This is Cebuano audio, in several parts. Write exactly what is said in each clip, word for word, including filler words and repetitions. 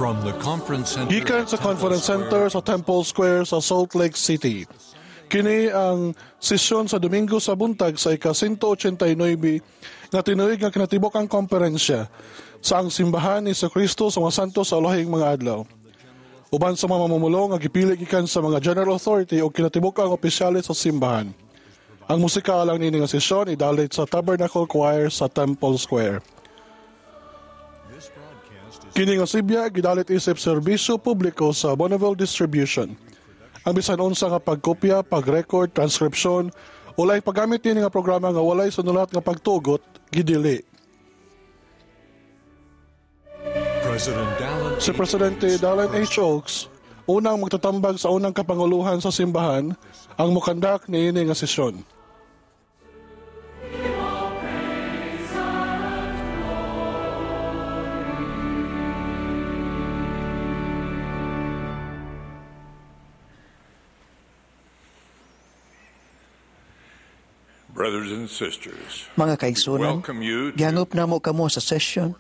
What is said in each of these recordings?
From the conference center Gikan at sa Temple Conference Square, Center sa Temple Square sa Salt Lake City. Kini ang sesyon sa Domingo sa buntag sa ika one eighty-nine nga tinuig nga kinatibuk-ang komperensya sa ang Simbahan ni Kristo sa mga Santos sa Ulahing mga Adlaw. Uban sa mga mamumulong nga gipili gikan sa mga General Authority o kinatibuk-ang opisyales sa simbahan. Ang musika alang niini nga sesyon idalit sa Tabernacle Choir sa Temple Square. This broadcast is Kini nga sibya gidalit isip serbisyo publiko sa Bonneville Distribution. Ang bisan unsa nga pagkopya, pag-record, transkripsyon o laing paggamit niini nga programa nga walay sunulat nga pagtugot gidili. President Dallin Si Presidente Dallin H. Oaks, unang magtatambag sa unang kapanguluhan sa simbahan, ang mukandak niini nga sesyon. Brothers and sisters, Mga kaigsunan, welcome you to gihangop namo kamo sa session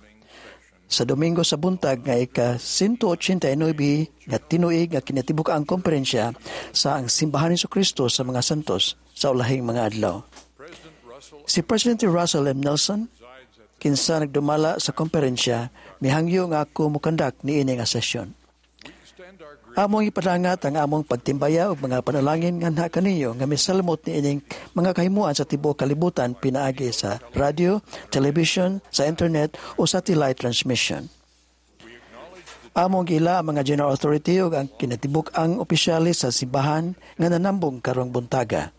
sa Domingo sa buntag nga ika one eighty-nine nga tinuig nga kinatibuk-ang komperensya sa ang Simbahan ni Kristo sa mga Santos sa Ulahing mga Adlaw. President Russell Si President Russell M. Nelson, presides at the kinsa nagdumala sa komperensya, mihangyo nga ako mukandak niini nga sesyon. We extend our greetings Among ipadangat ang among pagtimbaya ug mga panalangin nganha kaninyo nga misalmot niining mga kahimuan sa tibuok kalibutan pinaagi sa radio, television, sa internet o satellite transmission. We acknowledge the Among giila ang mga general authority ug ang kinatibuk-ang opisyalis sa simbahan nga nanambong karong buntaga.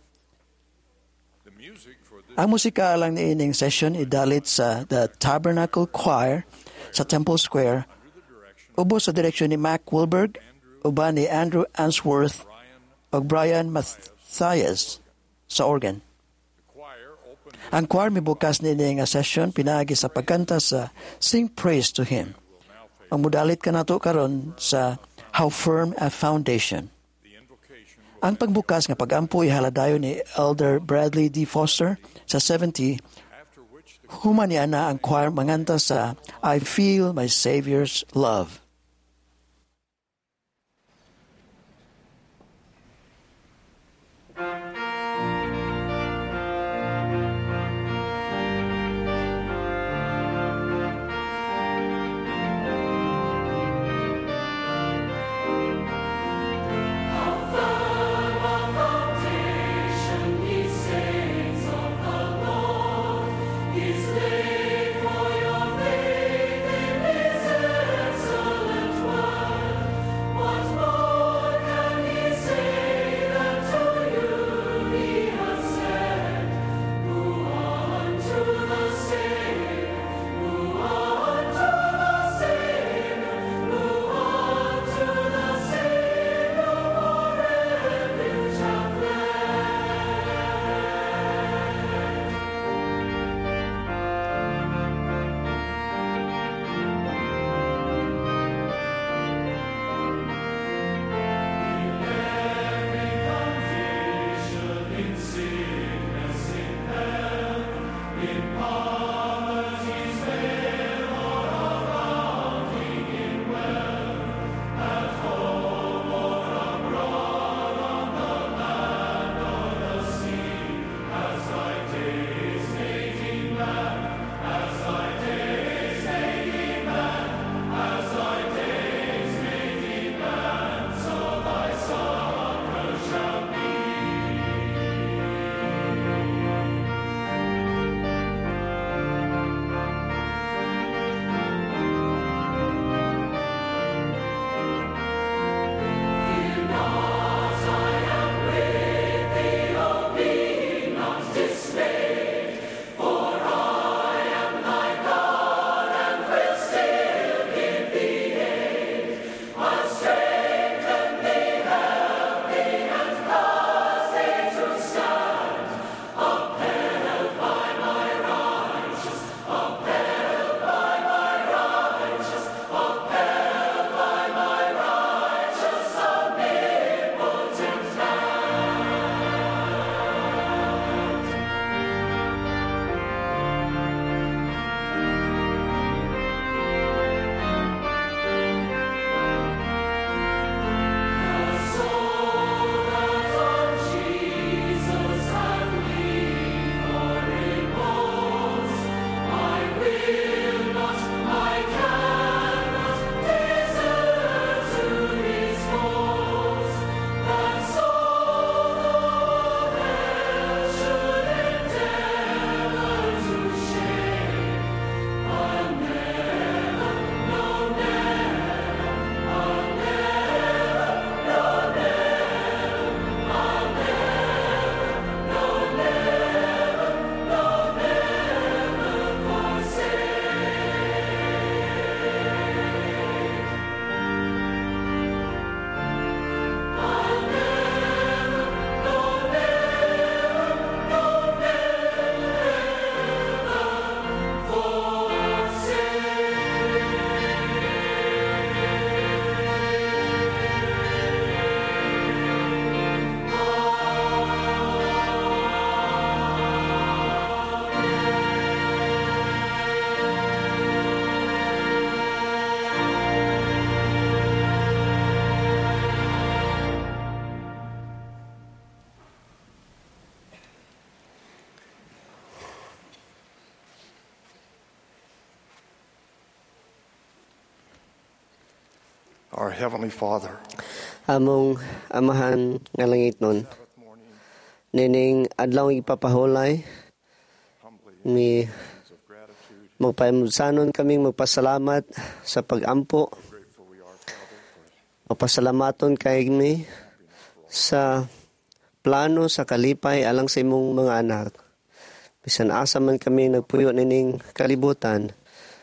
The music for this Ang musika alang niining session idalit sa The Tabernacle Choir sa Temple Square under the direction ubos sa direksyon ni Mac Wilberg, uban ni Andrew Answorth Brian ug Brian Mathias sa organ. The choir opened Ang choir mibukas niini nga session pinaagi sa pagkanta sa Sing Praise to Him. Will now face Ang mudalit kanato karon sa How Firm a Foundation. The invocation will Ang pagbukas nga pagampo ihaladayon ni Elder Bradley D. Foster sa seventy, after which the human niana ang choir manganta sa I Feel My Savior's Love. How firm a foundation, ye saints of the Lord, is laid for your faith in His excellent word. What more can He say than to you Our Heavenly Father, Among amahan nga langitnon, Sabbath morning, nining adlaw ipapahulay humbly mi of gratitude, magpamudsanon kaming magpasalamat sa pagampo. grateful we are, Father, for Magpasalamaton kay mi sa plano sa kalipay alang sa imong mga anak. Bisan asa man kami nagpuyo nining kalibutan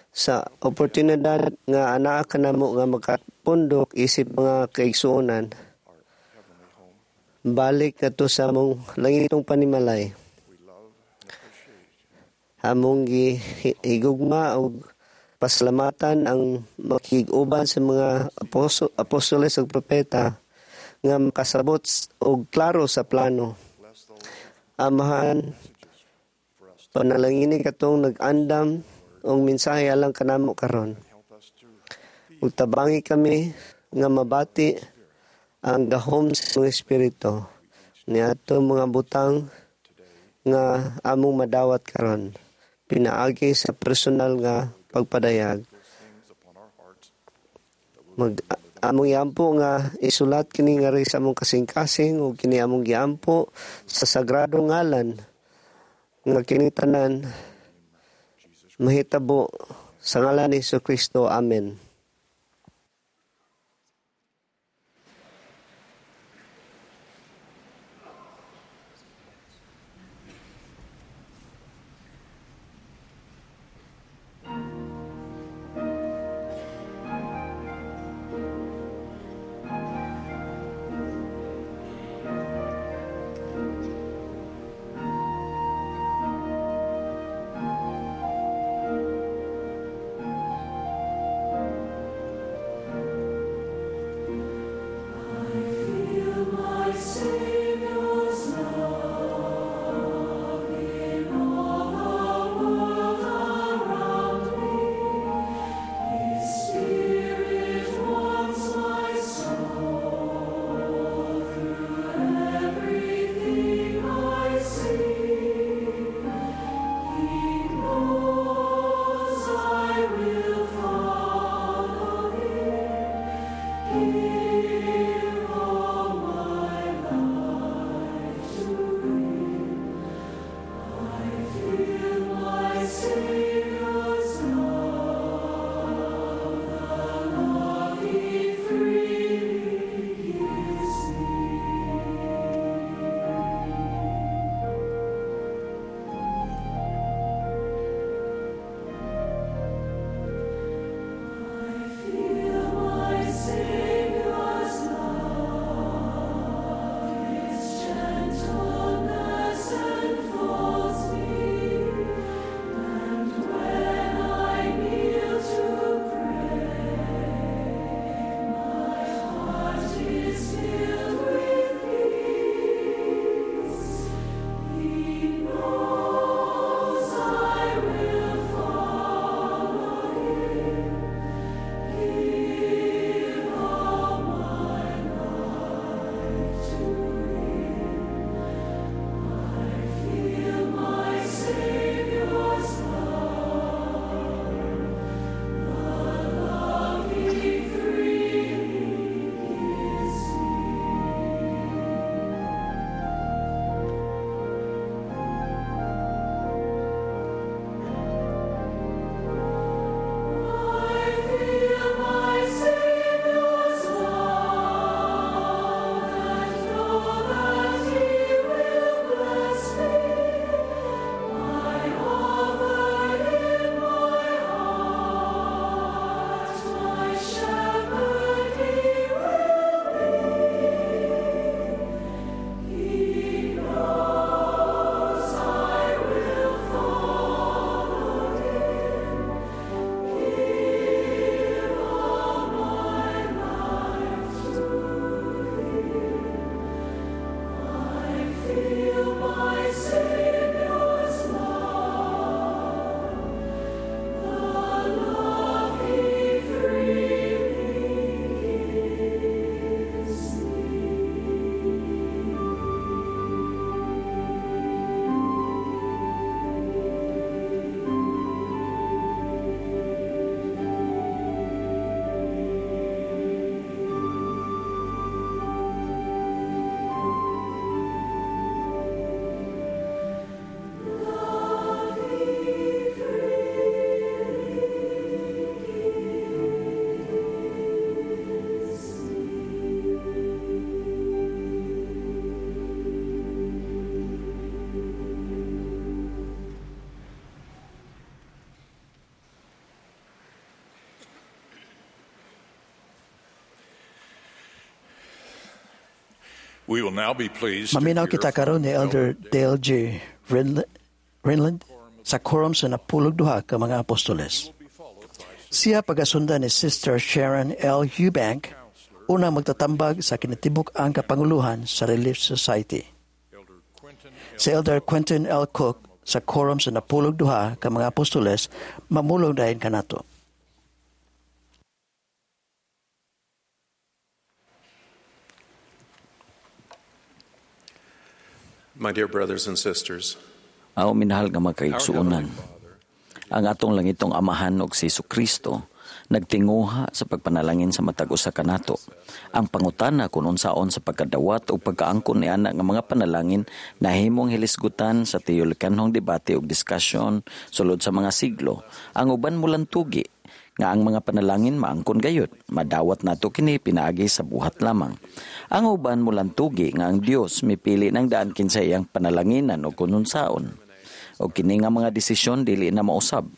sa oportunidad nga anaa kanamo nga makapundok isip mga kaigsuonan. our heavenly home. Balik kadto sa among langitong panimalay. We love and appreciate Among gihigugma og pasalamatan ang makig-uban sa mga aposto, apostoles ug propeta nga makasabot s- og klaro sa plano. Bless those Amahan, messages for us to panalangini katong nag-andam og mensahe alang kanamo karon. help us to Ug tabangi kami nga mabati ang gahom sa imong espiritu niadto mga butang nga among madawat karon pinaagi sa personal nga pagpadayag. those things upon our hearts Mag among giampo nga isulat kini ngari sa among kasing-kasing ug kini among giampo sa sagrado ngalan nga kini tanan mahitabo sa ngalan ni Kristo. Amen. We will now be pleased to Maminaw hear kita karon ni Elder Dale G. Renlund, Renlund sa quorum sa napulog duha ka mga apostoles. Siya pagasundan ni Sister Sharon L. Eubank, unang magtatambag sa kinatibuk ang kapanguluhan sa Relief Society. Elder Quentin Si Elder Quentin L. Cook sa quorum sa napulog duha ka mga apostoles mamulong dayon kanato. My dear brothers and sisters, Aw minahal nga mga kaigsuonan. Ang atong langitong amahan og si Kristo nagtinguha sa pagpanalangin sa matag usa kanato. Ang pangutana kun unsaon sa pagkadawat o pagkaangkon ni ana nga mga panalangin nahimong hilisgutan sa tiyolikanhong debate ug diskusyon sulod sa mga siglo. Ang uban mulantugi nga ang mga panalangin maangkon gayud, madawat nato kini pinaagi sa buhat lamang. Ang uban mulantugi nga ang Dios mipili ng daan kinsa iyang panalanginan o kununsaon. O kini nga mga desisyon dili na mausab.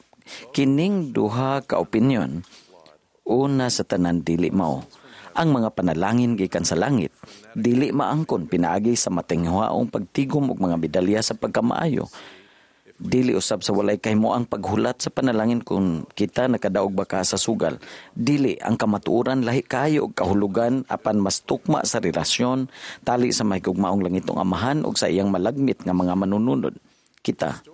Kining duha ka opinyon, una sa tanan dili mao. Ang mga panalangin gikan sa langit dili maangkon pinaagi sa matinghuaong pagtigom og mga medalya sa pagkamaayo. Dili usab sa walay kahimoang paghulat sa panalangin kung kita nakadaog ba ka sa sugal. Dili ang kamatuoran lahi kaayo og kahulugan apan mas tukma sa relasyon tali sa mahigugmaong langitong amahan ug sa iyang malagmit nga mga manununod. Kita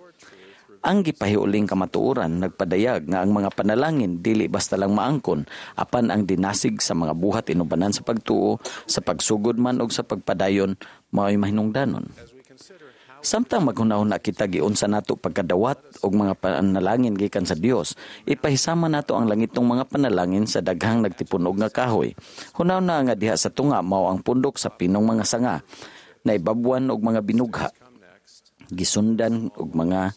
ang gipahiuling kamatuoran nagpadayag nga ang mga panalangin dili basta lang maangkon apan ang dinasig sa mga buhat inubanan sa pagtuo, sa pagsugod man og sa pagpadayon mao'y mahinungdanon. Samtang maghunahuna kita giunsa nato pagkadawat og mga panalangin gikan sa Dios, ipahisama nato ang langitong mga panalangin sa daghang nagtipunog nga kahoy. Hunahuna nga diha sa tunga mao ang pundok sa pinong mga sanga, naibabwan og mga binugha, gisundan og mga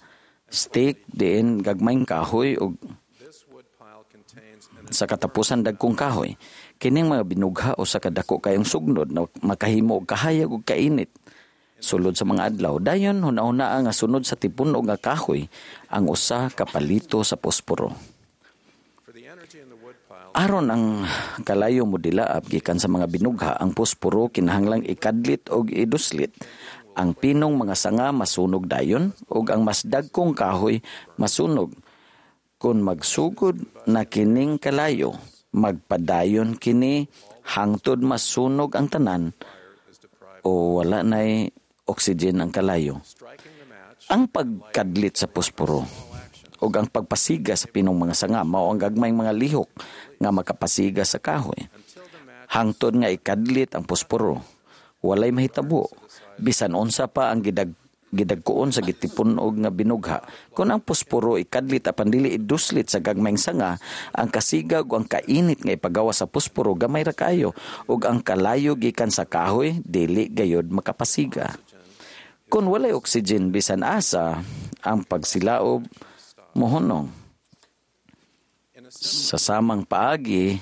stake diin gagmayng kahoy og sa katapusan dagkong kahoy. Kining mga binugha o sa kadako kayong sugnod na makahimo og kahayag og kainit sulod sa mga adlaw. Dayon hunahuna nga sunod sa tipunog nga kahoy ang usa ka palito sa posporo. Aron ang kalayo mo dilaab gikan sa mga binugha, ang posporo kinahanglang ikadlit og iduslit. Ang pinong mga sanga masunog dayon ug ang mas dagkong kahoy masunog. Kung magsugod na kining kalayo, magpadayon kini hangtod masunog ang tanan o wala na'y oxygen ang kalayo. Ang pagkadlit sa posporo ug ang pagpasiga sa pinong mga sanga mao ang gagmayng mga lihok nga makapasiga sa kahoy. Hangtod nga ikadlit ang posporo, walay mahitabo. Bisan unsa pa ang gidag gidagkuon sa gitipunog nga binugha. Kung ang posporo ikadlit apan dili iduslit sa gagmayng sanga, ang kasigag o ang kainit nga ipagawa sa posporo gamay ra kayo ug ang kalayo gikan sa kahoy dili gayod makapasiga. Kung walay oxygen bisan asa, ang pagsilaob mohunong. Sa samang paagi,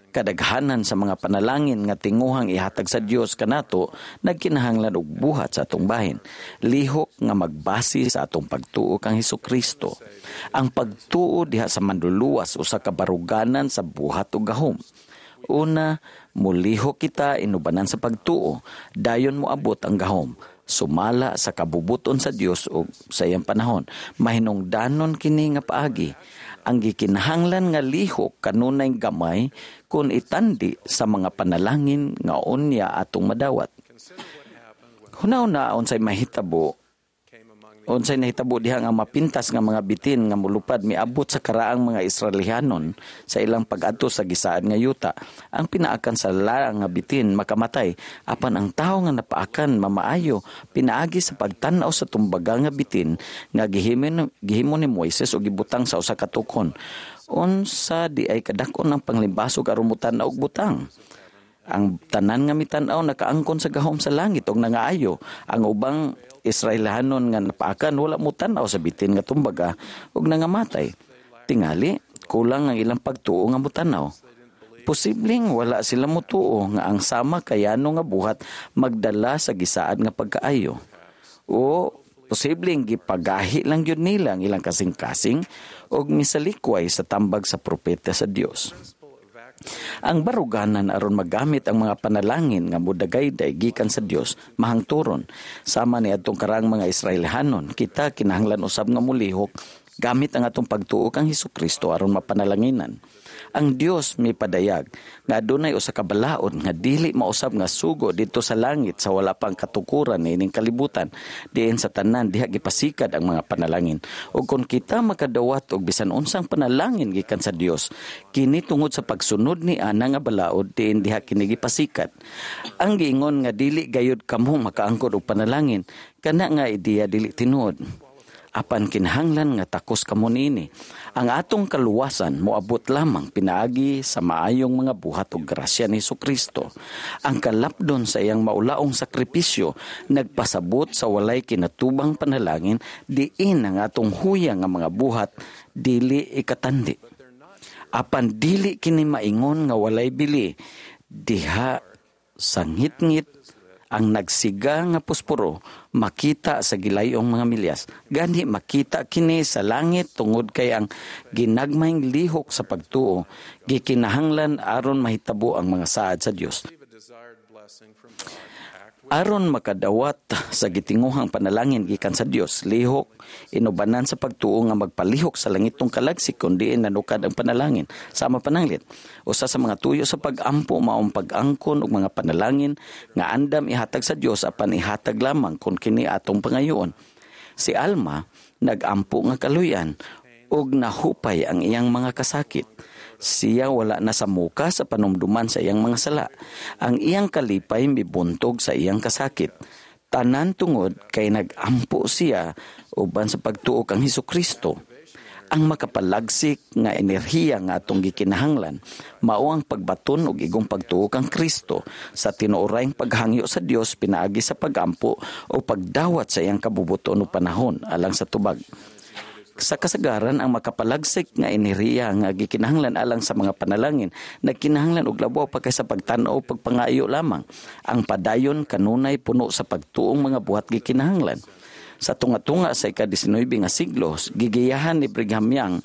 kadaghanan sa mga panalangin nga tinguhang ihatag sa Dios kanato nagkinahanglan og buhat sa atong bahin. Lihok nga magbase sa atong pagtuo kang Hesukristo. Ang pagtuo diha sa manluluwas usa ka baruganan sa buhat ug gahom. Una, mulihok kita inubanan sa pagtuo, dayon moabot ang gahom. Sumala sa kabubuton sa Dios ug sa iyang panahon. Mahinungdanon kini nga paagi. Ang gikinahanglan nga lihok kanunay gamay kun itandi sa mga panalangin nga unya atong madawat. Hunaw na unsay mahitabo unsay nahitabo diha nga mapintas nga mga bitin nga mulupad miabot sa karaang mga Israelihanon sa ilang pag-adto sa gisaad nga yuta. Ang pinaakan sa laang nga bitin makamatay, apan ang tawo nga napaakan mamaayo pinaagi sa pagtan-aw sa tumbaga nga bitin nga gihimo, gihimo ni Moises og gibutang sa usa ka tukon. Unsa di ay kadak-on ang panglimbasog aron motan-aw og butang? Ang tanan nga mitan-aw nakaangkon sa gahom sa langit og nangaayo. Ang ubang Israelhanon nga napaakan wala mo tan-aw sa bitin nga tumbaga og nangamatay. Tingali, kulang ang ilang pagtuo nga motan-aw. Posibleng wala sila motuo nga ang sama kayano nga buhat magdala sa gisaad nga pagkaayo. O posibleng gipagahi lang yun nila ang ilang kasing-kasing og misalikway sa tambag sa propeta sa Dios. Ang baruganan aron magamit ang mga panalangin nga mudagayday gikan sa Dios mahangturon. Sama ni adtong karang mga Israelhanon, kita kinahanglan usab nga mulihok gamit ang atong pagtuo kang Hesukristo aron mapanalanginan. Ang Dios mipadayag nga adunay usa ka balaod nga dili mausab nga sugo didto sa langit sa wala pang katukuran niining kalibutan, diin sa tanan diha gipasikad ang mga panalangin. Ug kon kita makadawat og bisan unsang panalangin gikan sa Dios, kini tungod sa pagsunod ni ana nga balaod diin diha kini gipasikad. Ang giingon nga dili gayud kamo makaangkon og panalangin, kana nga ideya dili tinuod. Apan kinahanglan nga takos kamo niini. Ang atong kaluwasan moabot lamang pinaagi sa maayong mga buhat ug grasya ni Hesukristo. Ang kalapdon sa iyang maulaong sakripisyo nagpasabot sa walay kinatubang panalangin diin ang atong huya nga mga buhat dili ikatandi. Apan dili kini maingon nga walay bili diha sa ngitngit ang nagsiga nga posporo makita sa gilayong mga milyas. Gani makita kini sa langit tungod kay ang ginagmayng lihok sa pagtuo gikinahanglan aron mahitabo ang mga saad sa Dios. Aron makadawat sa gitinguhang panalangin gikan sa Dios, lihok inubanan sa pagtuo nga magpalihok sa langitong kalagsik kun diin nanukad ang panalangin. Sama pananglit, usa sa mga tuyo sa pag-ampo maong pag-angkon og mga panalangin nga andam ihatag sa Dios apan ihatag lamang kun kini atong pangayoon. Si Alma nag-ampo nga kaluyan og nahupay ang iyang mga kasakit. Siya wala na sa muka sa panumduman sa iyang mga sala. Ang iyang kalipay mibuntog sa iyang kasakit. Tanan tungod kay nag-ampo siya uban sa pagtuo kang Hesukristo. Ang makapalagsik nga enerhiya nga atong gikinahanglan mao ang pagbaton og igong pagtuo kang Kristo sa tinuorayng paghangyo sa Dios pinaagi sa pagampo o pagdawat sa iyang kabubuton o panahon alang sa tubag. Sa kasagaran, ang makapalagsik nga enerhiya nga gikinahanglan alang sa mga panalangin nagkinahanglan og labaw pa kaysa pagtan-aw pagpangayo lamang. Ang padayon kanunay puno sa pagtuong mga buhat gikinahanglan. Sa tunga-tunga sa ika-disnuebe nga siglo, gigiyahan ni Brigham Young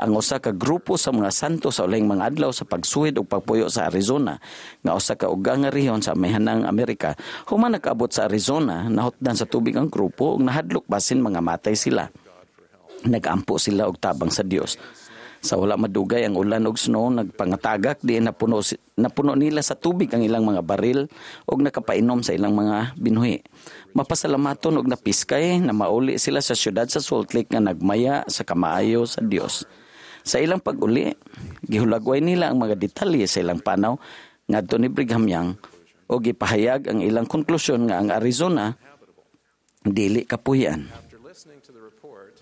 ang usa ka grupo sa mga santo sa ulahing mga adlaw sa pagsuhid ug pagpuyo sa Arizona, nga usa ka uga nga rehiyon sa amihanang Amerika. Human nakaabot sa Arizona, nahutdan sa tubig ang grupo ug nahadlok basin mga matay sila. Nagampo sila og tabang sa Dios. Sa wala madugay ang ulan og snow nagpangatagak diin napuno napuno nila sa tubig ang ilang mga baril og nakapainom sa ilang mga binuhi. Mapasalamaton og napiskay na mauli sila sa syudad sa Salt Lake nga nagmaya sa kamaayo sa Dios. Sa ilang pag-uli, gihulagway nila ang mga detalye sa ilang panaw ngadto ni Brigham Young og gipahayag ang ilang konklusyon nga ang Arizona dili kapuyan.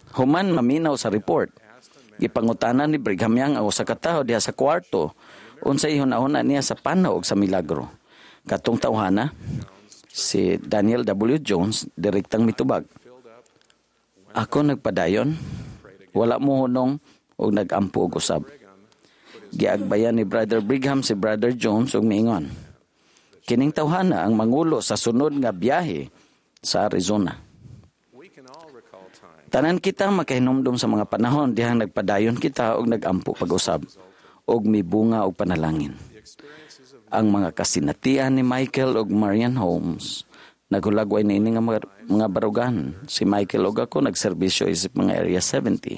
Human maminaw sa report, gipangutana ni Brigham Young ang usa ka tawo diha sa kwarto unsay ihuna-huna niya sa panaw og sa milagro. Katong tawhana, si Daniel W. Jones, direktang mitubag. Ako nagpadayon, wala mo hunong og nagampo og usab. Giagbayan ni Brother Brigham si Brother Jones og miingon. Kining tawhana ang mangulo sa sunod nga biyahe sa Arizona. Tanan kita makahinumdum sa mga panahon dihang nagpadayon kita og nagampo pag-usab og mibunga og panalangin. Ang mga kasinatian ni Michael og Marian Holmes naghulagway niini nga mga, mga barugan. Si Michael og ako nagserbisyo isip mga Area seventy.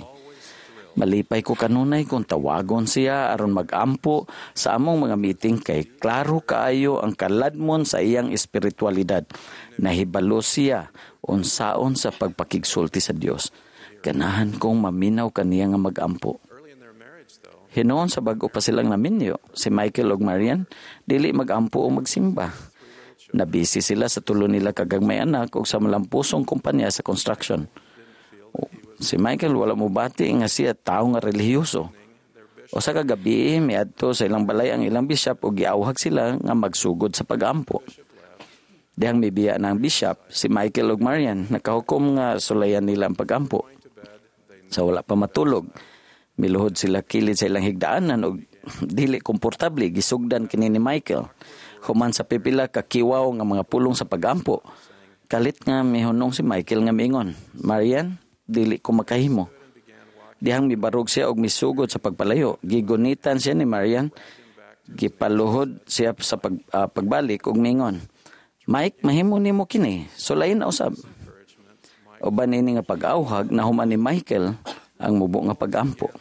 Malipay ko kanunay kung tawagon siya aron magampo sa among mga meeting kay klaro kaayo ang kaladmon sa iyang espiritualidad. Nahibalo siya unsaon sa pagpakigsulti sa Dios. Ganahan kong maminaw kaniya nga magampo. Hinuon sa bag-o pa silang naminyo, si Michael ug Marian dili magampo o magsimba. Nabisi sila sa tulo nila kagagmay anak ug sa malampusong kumpanya sa construction. Si Michael wala mo bati nga siya tao nga relihiyoso. O sa kagabi, miadto sa ilang balay ang ilang bishop ug giawhag sila nga magsugod sa pagampo. Dihang mibiya na ang bishop, si Michael ug Marian nakahukom nga sulayan nila ang pagampo. Sa wala pa matulog, miluhod sila kilid sa ilang higdaanan ug dili komportable gisugdan kini ni Michael. Human sa pipila kakiwaw nga mga pulong sa pagampo, kalit nga mihunong si Michael nga miingon, Marian, dili ko makahimo. Dihang mibarog siya og misugod sa pagpalayo. Gigunitan siya ni Marian. Gipaluhod siya sa pag, uh, pagbalik ug mingon, "Mike, mahimo nimo kini. Sulayin na usab." Uban ini nga pag-awhag, nahuman ni Michael ang mubo nga pagampo.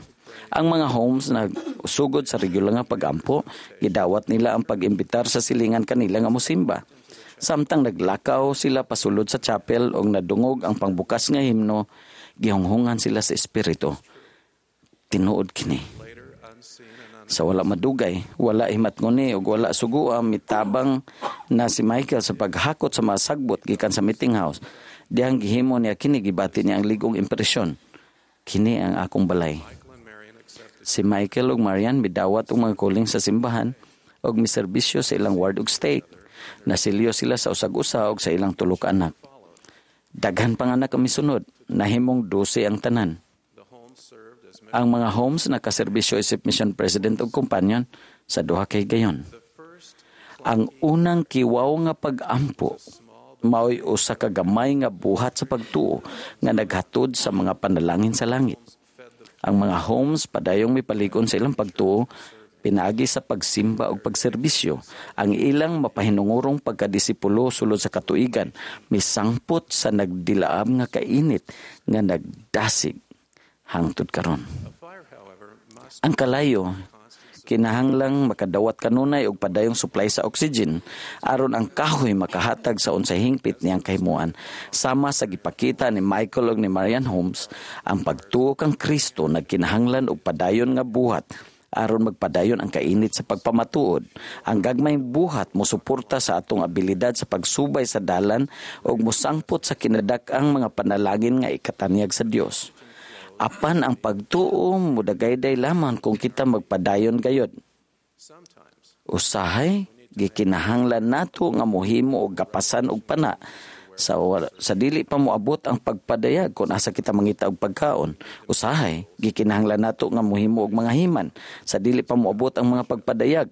Ang mga Holmes na sugod sa regular nga pagampo, gidawat nila ang pag-imbitar sa silingan kanila nga musimba. Samtang naglakaw sila pasulod sa chapel og nadungog ang pangbukas nga himno, gihunghungan sila sa espiritu. Tinuod kini. Sa wala madugay, wala himatngoni ug wala sugua, mitabang na si Michael sa paghakot sa mga sagbot gikan sa meeting house. Dihang gihimo niya kini, gibati niya ang ligong impresyon. Kini ang akong balay. Si Michael ug Marian midawat og mga kuling sa simbahan ug miserbisyo sa ilang ward ug stake. Nasilyo sila sa usag-usa ug sa ilang tulo ka anak. Daghan pang anak ang misunod, nahimong dose ang tanan. Ang mga Holmes nakaserbisyo isip mission president ug companion sa duha kay gayon. Ang unang kiwaw nga pag-ampo mao'y usa ka gamay nga buhat sa pagtuo nga naghatod sa mga panalangin sa langit. Ang mga Holmes padayong mipalig-on sa ilang pagtuo pinaagi sa pagsimba ug pagserbisyo. Ang ilang mapahinungurong pagkadisipulo sulod sa katuigan misangpot sa nagdilaab nga kainit nga nagdasig hangtod karon. Ang kalayo kinahanglang makadawat kanunay og padayong supply sa oxygen aron ang kahoy makahatag sa unsay hingpit niyang kahimuan. Sama sa gipakita ni Michael ug ni Marian Holmes, ang pagtuo kang Kristo nagkinahanglan og padayon nga buhat aron magpadayon ang kainit sa pagpamatuod. Ang gagmayng buhat mosuporta sa atong abilidad sa pagsubay sa dalan ug mosangpot sa kinadak-ang mga panalangin nga ikatanyag sa Dios. Apan ang pagtuo mudagayday lamang kung kita magpadayon gayod. Usahay gikinahanglan nato nga mohimo og gapasan og pana sa sa dili pa moabot ang pagpadayag kung asa kita mangita og pagkaon. Usahay gikinahanglan nato nga mohimo og mga himan sa dili pa moabot ang mga pagpadayag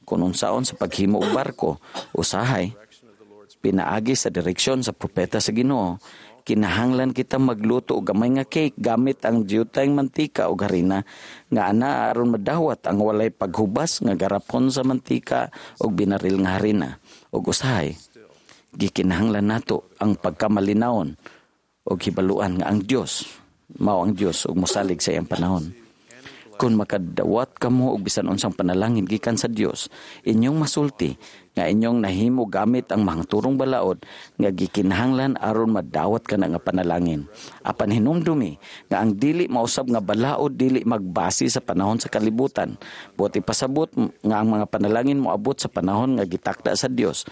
kung unsaon sa paghimo og barko. Usahay pinaagi sa direksyon sa propeta sa Ginoo, kinahanglan kita magluto og gamay nga cake gamit ang diyutay mantika o harina nga ana aron madawat ang walay paghubas nga garapon sa mantika og binaril nga harina. Og usahay gikinahanglan nato ang pagkamalinawon og hibaluan nga ang Dios mao ang Dios ug mosalig sa iyang panahon. Kung makadawat kamo og bisan unsang panalangin gikan sa Dios, inyong masulti nga inyong nahimo gamit ang mahangturong balaod nga gikinahanglan aron madawat kana nga panalangin. Apan hinumdumi nga ang dili mausab nga balaod dili magbase sa panahon sa kalibutan. Buot ipasabot nga ang mga panalangin moabot sa panahon nga gitakda sa Dios.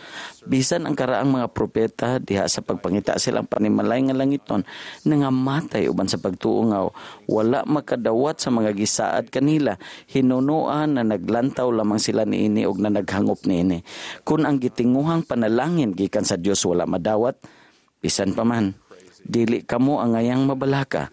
Bisan ang karaang mga propeta diha sa pagpangita silang panimalay nga langiton nangamatay uban sa pagtuo nga wala makadawat sa mga gisaad kanila, hinunoan na naglantaw lamang sila niini og na naghangop niini. Kung ang gitinguhang panalangin gikan sa Dios wala madawat, bisan pa man dili kamo ang ngayang mabalaka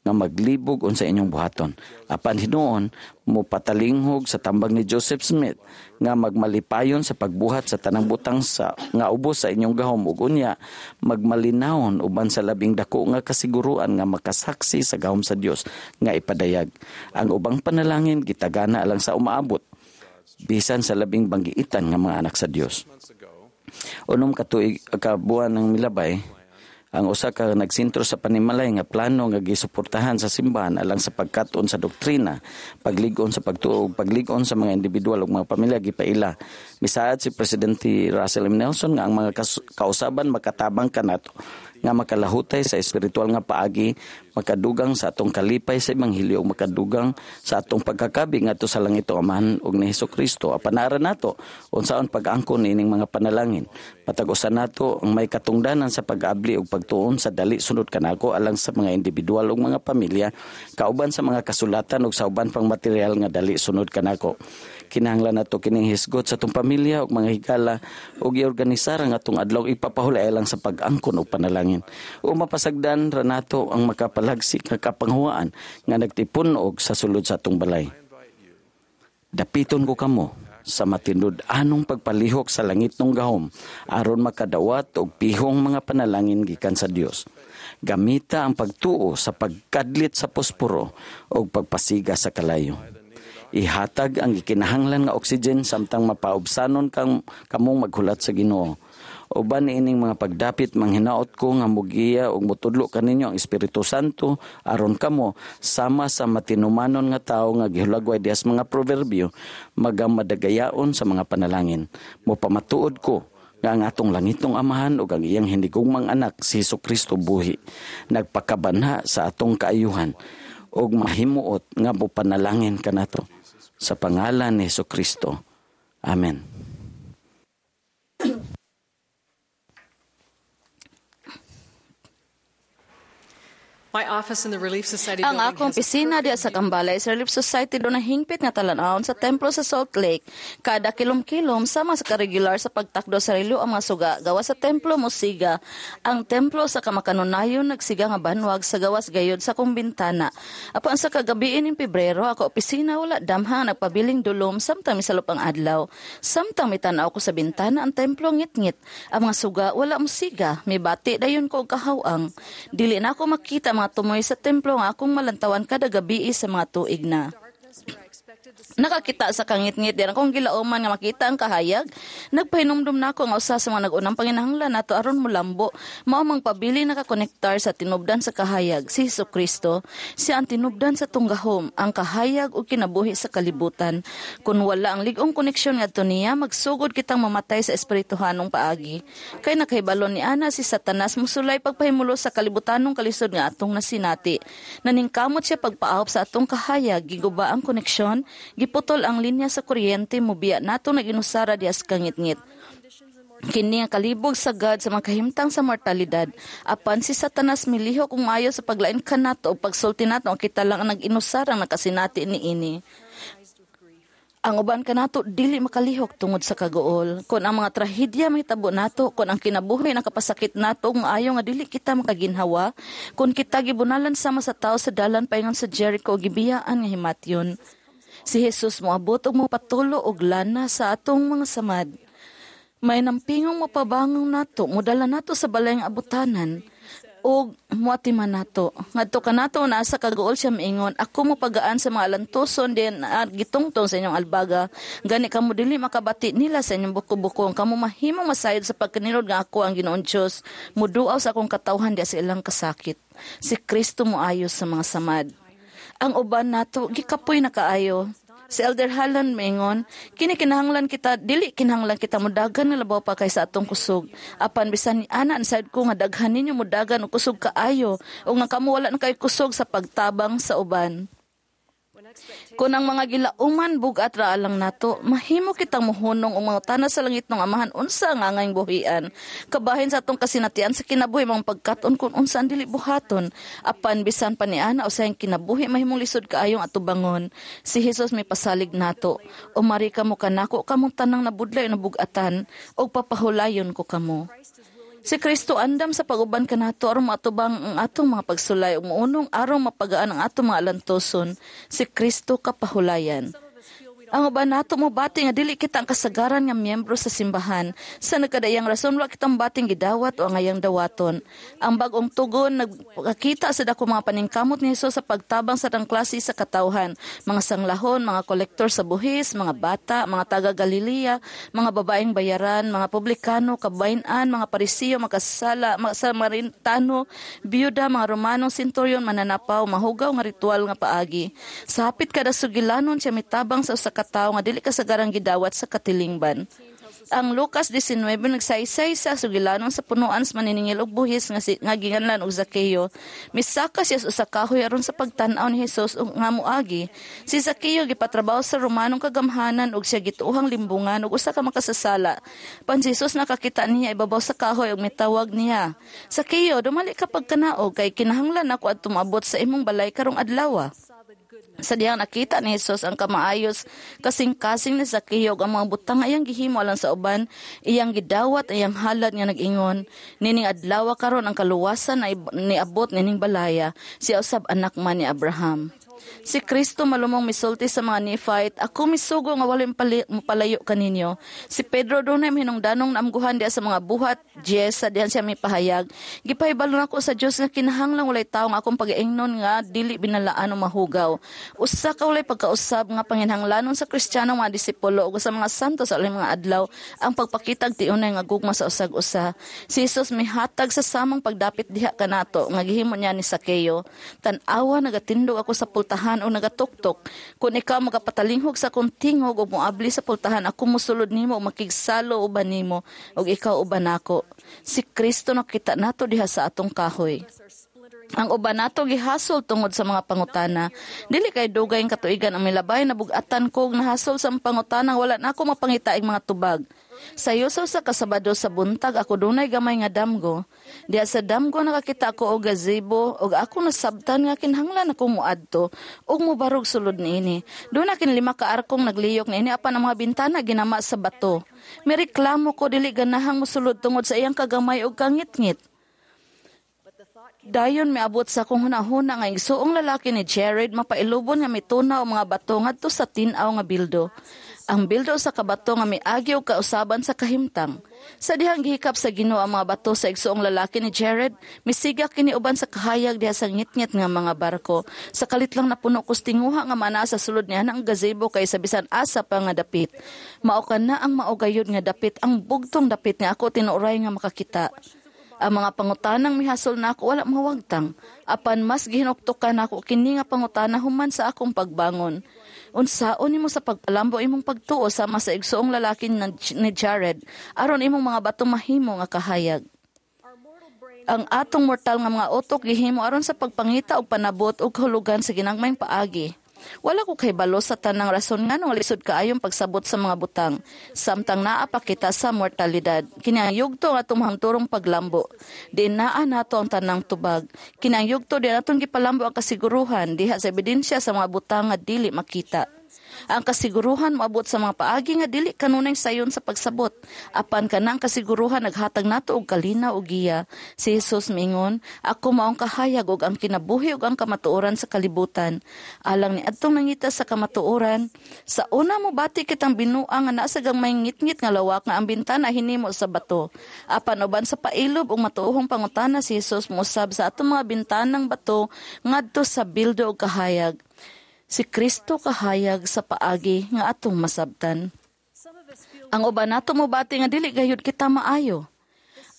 nga maglibog unsa inyong buhaton. Apan hinuon mo patalinghog sa tambag ni Joseph Smith nga magmalipayon sa pagbuhat sa tanang butang sa nga ubos sa inyong gahom ug unya magmalinawon uban sa labing dako nga kasiguruan nga makasaksi sa gahom sa Dios nga ipadayag. Ang ubang panalangin gitagana alang sa umaabot bisan sa labing banggiitan nga mga anak sa Dios. Unom ka tuig ka buwan ng milabay, ang usa ka nagsentro sa panimalay nga plano nga gisuportahan sa simbahan alang sa pagkat-on sa doktrina, paglig-on sa pagtuo ug paglig-on sa mga individual ug mga pamilya gipaila. Misaad si Presidente Russell M. Nelson nga ang mga kausaban makatabang kanato nga makalahutay sa espiritual nga paagi, makadugang sa atong kalipay sa ebanghelyo ug makadugang sa atong pagkakabi ngadto sa langit Amahan ug ni Hesus Kristo. Apan ara nato unsaon pag-angkon niining mga panalangin. Matag usa nato ang may katungdanan sa pag-abli ug pagtuon sa dali sunod kanako alang sa mga individual ug mga pamilya, kauban sa mga kasulatan ug sa uban pang material nga dali sunod kanako. Kinahanglan nato kining hisgot sa atong pamilya ug mga higala ug giorganisar ang atong adlaw ipapahulay alang sa pag-angkon og panalangin. O mapasagdan ra nato ang makapalagsik nga kapanghuaan nga nagtipun-og sa sulod sa atong balay. Dapiton ko kamo sa matinud-anong pagpalihok sa langit ng gahom aron makadawat og pihong mga panalangin gikan sa Dios. Gamita ang pagtuo sa pagkadlit sa posporo og pagpasiga sa kalayo. Ihatag ang gikinahanglan nga oxygen samtang mapaubsanon kang kamong maghulat sa Ginoo. Uban niining mga pagdapit, manghinaot ko nga mugiya ug motudlo kaninyo ang Espiritu Santo aron kamo sama sa matinumanon nga tawo nga gihulagway diha sa mga proverbio magamadagayaon sa mga panalangin. Mopamatuod ko nga ang atong langitnong Amahan ug ang iyang hinigugmang anak si Hesus Kristo buhi nagpakabanha sa atong kaayuhan ug mahimuot nga mopanalangin kanato sa pangalan ni Hesus Kristo. Amen. My office in the Relief Society Ang building akong has a opisina diya sa Kambalay sa Relief Society doon hingpit nga talan-awon sa templo sa Salt Lake. Kada kilom-kilom sama sa karegular sa pagtakdo sa relo ang mga suga gawa sa templo musiga. Ang templo sa kamakanunayon nagsiga nga banwag sa gawas gayod sa kong bintana. Apan sa kagabiin ning Pebrero ako opisina wala damha nagpabiling dulom samtang misalop ang adlaw. Samtang mitan-aw ko sa bintana ang templo ngitngit. Ang mga suga wala musiga. Mibati dayon ko og kahawang. Dili na ako makita mga tumoy sa templo nga akong malantawan kada gabi sa mga tuig na. Nakakita sa kangitngit diyan akong gilauman nga makita ang kahayag. Nagpahinumdum nako nga usa sa mga nag-unang panginahanglan nato aron molambo mao mang pabili nakakonektar sa tinubdan sa kahayag si Hesus Kristo. Siya ang tinubdan sa tunggahom, ang kahayag ug kinabuhi sa kalibutan. Kun wala ang lig-ong koneksyon ngadto niya, magsugod kitang mamatay sa espirituhanong paagi. Kay nakahibalo ni ana si Satanas mosulay pagpahimulo sa kalibutanong kalisod nga atong nasinati. Naningkamot siya pagpaahop sa atong kahayag, giguba ang koneksyon, giputol ang linya sa kuryente, mobiya nato naginusara diya sa kangitngit. Kini ang kalibog sa God sa mga kahimtang sa mortalidad. Apan si Satanas milihok kung maayo sa paglain kanato o pagsulti nato ang kita lang ang nag-inusarang nakasinati niini. Ang uban kanato dili makalihok tungod sa kaguol. Kon ang mga trahedya mahitabo nato, kon ang kinabuhi nakapasakit nato ug maayo nga dili kita makaginhawa, kon kita gibunalan sama sa tawo sa dalan paingon sa Jericho gibiyaan nga himatyon. Si Jesus moabot ug mopatulo og lana sa atong mga samad. May nampingong mapabangong nato, modala nato sa balay nga abutanan og moatiman nato. Ngadto kanato naa sa kaguol siya miingon, ako mopagaan sa mga alantuson din uh, gitungtong sa inyong albaga. Gani kamo dili makabati nila sa inyong buko-buko. Kamo mahimong masayod sa pagkanilod nga ako ang Ginoong Dios, muduaw sa akong katawhan diya sa ilang kasakit. Si Kristo moayos sa mga samad. Ang uban nato gikapoy na kaayo. Si Elder Holland maingon, kini kinahanglan kita, dili kinahanglan kita mudagan nga labaw pa kaysa atong kusog. Apan bisan ni ana ang sayod ko nga daghan ninyo mudagan og kusog kaayo o nga kamo wala na kayo kusog sa pagtabang sa uban. Kung ang mga gilauman bugat ra alang nato, mahimo kitang mohunong og mangutana sa langit ng Amahan unsa nga angayng buhian. Kabahin sa atong kasinatian sa kinabuhi mga pagkat-on kung unsa ang dili buhaton. Apan bisan pa ni ana usahing kinabuhi mahimong lisod kaayong atubangon. Si Jesus may pasalig nato. Umari kamo kanako kamong tanang nabudlay o nabugatan og papahulayon ko kamo. Si Kristo andam sa pag-uban kanato aron maatubang ang atong mga pagsulay ug mounong aron mapagaan ang atong mga alantoson. Si Kristo kapahulayan. Ang uban nato mobati nga dili kita ang kasagaran nga miyembro sa simbahan. Sa nagkadayang rason wa kitang bating gidawat o ang ayang dawaton. Ang bag-ong tugon nagpakita sa dako mga paningkamot ni Hesus sa pagtabang sa tang klase sa katawhan, mga sanglahon, mga kolektor sa buhis, mga bata, mga taga Galilea, mga babaeng bayaran, mga publikano, kabayn-an, mga Parisiyo, makasala, mga Samaritano, biyuda, mga Romanong senturyon, mananapaw, mahugaw nga ritual nga paagi. Sa hapit kada sugilanon siya mitabang sa usa ka tawo nga dili kasagarang gidawat sa katilingban. Ang Lucas nineteen nagsaysay sa sugilanon sa punuan sa maniningil og buhis nga, si, nga ginganlan og Zakeo. Misaka siya sa usa kahoy aron sa pagtan-aw ni Hesus og nga moagi. Si Zakeo gipatrabaho sa Romanong kagamhanan og siya gituohang limbungan og usa ka makasasala. Pan si Jesus nakakita niya ibabaw sa kahoy og mitawag niya. Zakeo, dumali ka pagkanaog kay kinahanglan ako adto moabot sa imong balay karong adlaw. Sa diyang nakita ni Jesus ang kamaayos kasing-kasing ni Zakeo ug ang mga butang iyang gihimo alang sa uban, iyang gidawat iyang halad nga nag-ingon, nining adlaw karon ang kaluwasan na niabot nining balaya, siya usab anak man ni Abraham. Si Kristo malumong misulti sa mga Nephite, ako misugo nga walay mapalayo kaninyo. Si Pedro dunay mahinungdanong naamguhan diha sa mga buhat diyes sa dihan siya mipahayag. Gipahibalo nako sa Dios nga kinahanglan walay tawo nga akong pagaingnon nga dili binalaan o mahugaw. Usa ka walay pagkausab nga panginhanglanon sa Kristiyano mga disipulo ug sa mga santo sa uling mga adlaw ang pagpakitag tiunay nga gugma sa usag usa. Si Jesus mihatag sa samang pagdapit diha kanato nga gihimo niya ni Sakeo. Tan-awa nagatindog ako sa pultahan o nagatuktok. Kung ikaw magapatalinghog sa akong tingog o moabli sa pultahan, ako mosulod nimo o makigsalo uban nimo ug ikaw uban nako. Si Kristo nakita nato diha sa atong kahoy. Ang uban nato gihasol tungod sa mga pangutana. Dili kay dugay ang katuigan ang milabay na bugatan ko nahasol sa pangutana wala na ako mapangitaing mga tubag. Sayo sa usa ka Sabado sa buntag ako dunay gamay nga damgo. Diha sa damgo nakakita ako og gazebo ug ako nasabtan nga kinahanglan ako moadto ug mobarog sulod niini. Duna kin lima ka arkong nagliyok niini apan ang mga bintana ginama sa bato. Mireklamo ko dili ganahang mosulod tungod sa iyang kagamay ug kangitngit. Dayon miabot sa akong hunahuna nga igsuong lalaki ni Jared mapailubon nga mitunaw ang mga bato ngadto sa tin-aw nga bildo. Ang bildo sa kabato nga miagi og kausaban sa kahimtang. Sa dihang gihikap sa Ginoo ang mga bato sa igsuong lalaki ni Jared, misiga kini uban sa kahayag diha sa ngitngit nga mga barko. Sa kalit lang napuno kos tinguha nga manaa sa sulod niya ang gazebo kay sa bisan asa pa nga dapit. Mao kana ang mao gayud nga dapit, ang bugtong dapit nga ako tinuoray nga makakita. Ang mga pangutanang mihasol nako wala mawagtang. Apan mas gihinuktukan nako kini nga pangutana human sa akong pagbangon. Unsaon nimo sa pagpalambo imong pagtuo sama sa igsuong lalaki ni Jared aron imong mga bato mahimo nga kahayag. Ang atong mortal nga mga utok gihimo aron sa pagpangita og panabot og kahulugan sa ginagmayng paagi. Wala ko kahibalo sa tanang rason nganong lisod kaayong pagsabot sa mga butang. Samtang naa pa kita sa mortalidad. Kini ang yugto nga atong mahangturong paglambo. Di naa nato ang tanang tubag. Kini ang yugto di natong gipalambo ang kasiguruhan diha sa ebidensya sa mga butang nga dili makita. Ang kasiguruhan moabot sa mga paagi nga dili kanunay sayon sa pagsabot. Apan kanang kasiguruhan naghatag nato og kalinaw og giya. Si Jesus miingon, ako maong kahayag og ang kinabuhi ug ang kamatuoran sa kalibutan. Alang ni adtong nangita sa kamatuoran, sa una mobati kitang binuang nga naa sa gamay ngitngit nga lawak nga ang bintana hinimo sa bato. Apan uban sa pailob ug matuohong pangutana si Jesus mousab sa atong mga bintanang bato ngadto sa bildo og kahayag. Si Kristo kahayag sa paagi nga atong masabtan. Ang uban nato mobati nga dili gayud kita maayo.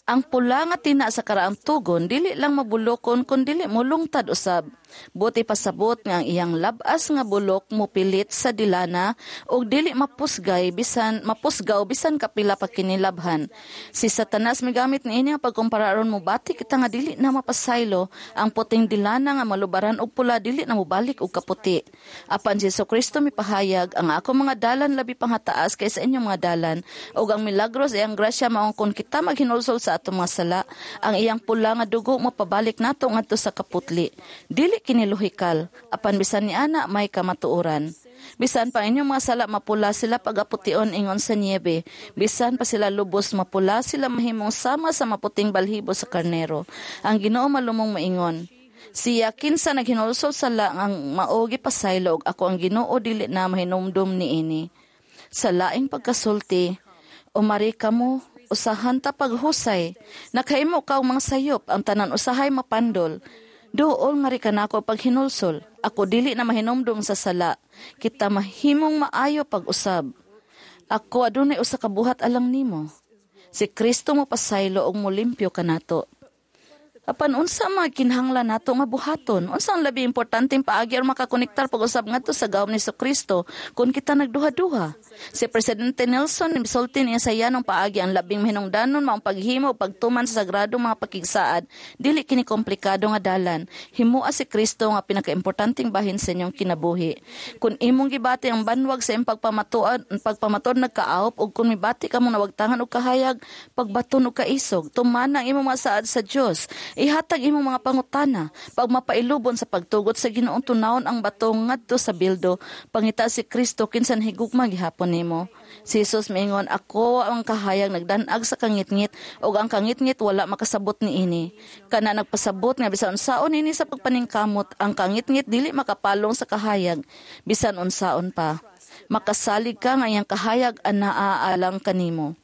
Ang pula nga tina sa karaang tugon dili lang mabulokon kun dili molungtad usab. Buti pasabot nga ang iyang labas nga bulok mopilit sa dilana ug dili mapusgay bisan mapusgaw bisan kapila pa kinilabhan. Si Satanas migamit niini nga pagkumpara aron mobati kita nga dili na mapasaylo ang puting dilana nga malubaran og pula dili na mobalik og kaputi. Apan si Jesucristo mipahayag ang ako mga dalan labi pang hataas kaysa inyong mga dalan ug ang milagro sa iyang grasya maong kun kita maghinulsol sa atong mga sala, ang iyang pula nga dugo mapabalik nato ngadto sa kaputli. Dili kini lohikal, apan bisan ni ana may kamatuoran. Bisan pa inyong mga sala mapula sila pagapution ingon sa niebe. Bisan pa sila lubos mapula sila mahimong sama sa maputing balhibo sa karnero. Ang Ginoo malumong maingon, siya kinsa naghinulsol sala ang mao gipasaylo og ako ang Ginoo dili na mahinumdum niini. Sa laing pagkasulti, umari kamo usahan ta paghusay. Nakahimo ka og mga sayop, ang tanan usahay mapandol. Duol nga ri kanako paghinulsol. Ako dili na mahinumdum sa sala. Kita mahimong maayo pag-usab. Ako adunay usa ka buhat alang nimo. Si Kristo mo pasaylo og molimpyo kanato. Apan unsa mga kinahanglan nato nga buhaton? Unsa ang labi importanteng paagi aron makakonektar pag-usab ngadto sa gawom ni Kristo kung kita nagduha-duha? Si Presidente Nelson misulti niya sa iyanong paagi ang labing mahinungdanon maong paghimo ug pagtuman sa sagradong mga pakigsaad. Dili kini komplikado nga dalan. Himoa si Kristo nga pinakaimportanteng bahin sa inyong kinabuhi. Kung imong gibati ang banwag sa imong pagpamatuod, pagpamatuod nagkaawop ug kung mibati ka mong nawagtangan og kahayag, pagbaton og kaisog, tumana ang imong mga saad sa Dios. Ihatag imong mga pangutana. Pagmapailubon sa pagtugot sa Ginoong tunawon ang bato ngadto sa bildo. Pangita si Kristo kinsan higugma gihapon nimo. Si Jesus miingon, ako ang kahayag nagdanag sa kangitngit ug ang kangitngit wala makasabot niini. Kana nagpasabot nga bisan unsaon ini sa pagpaningkamot, ang kangitngit dili makapalong sa kahayag bisan unsaon pa. Makasalig ka nga iyang kahayag anaa alang kanimo.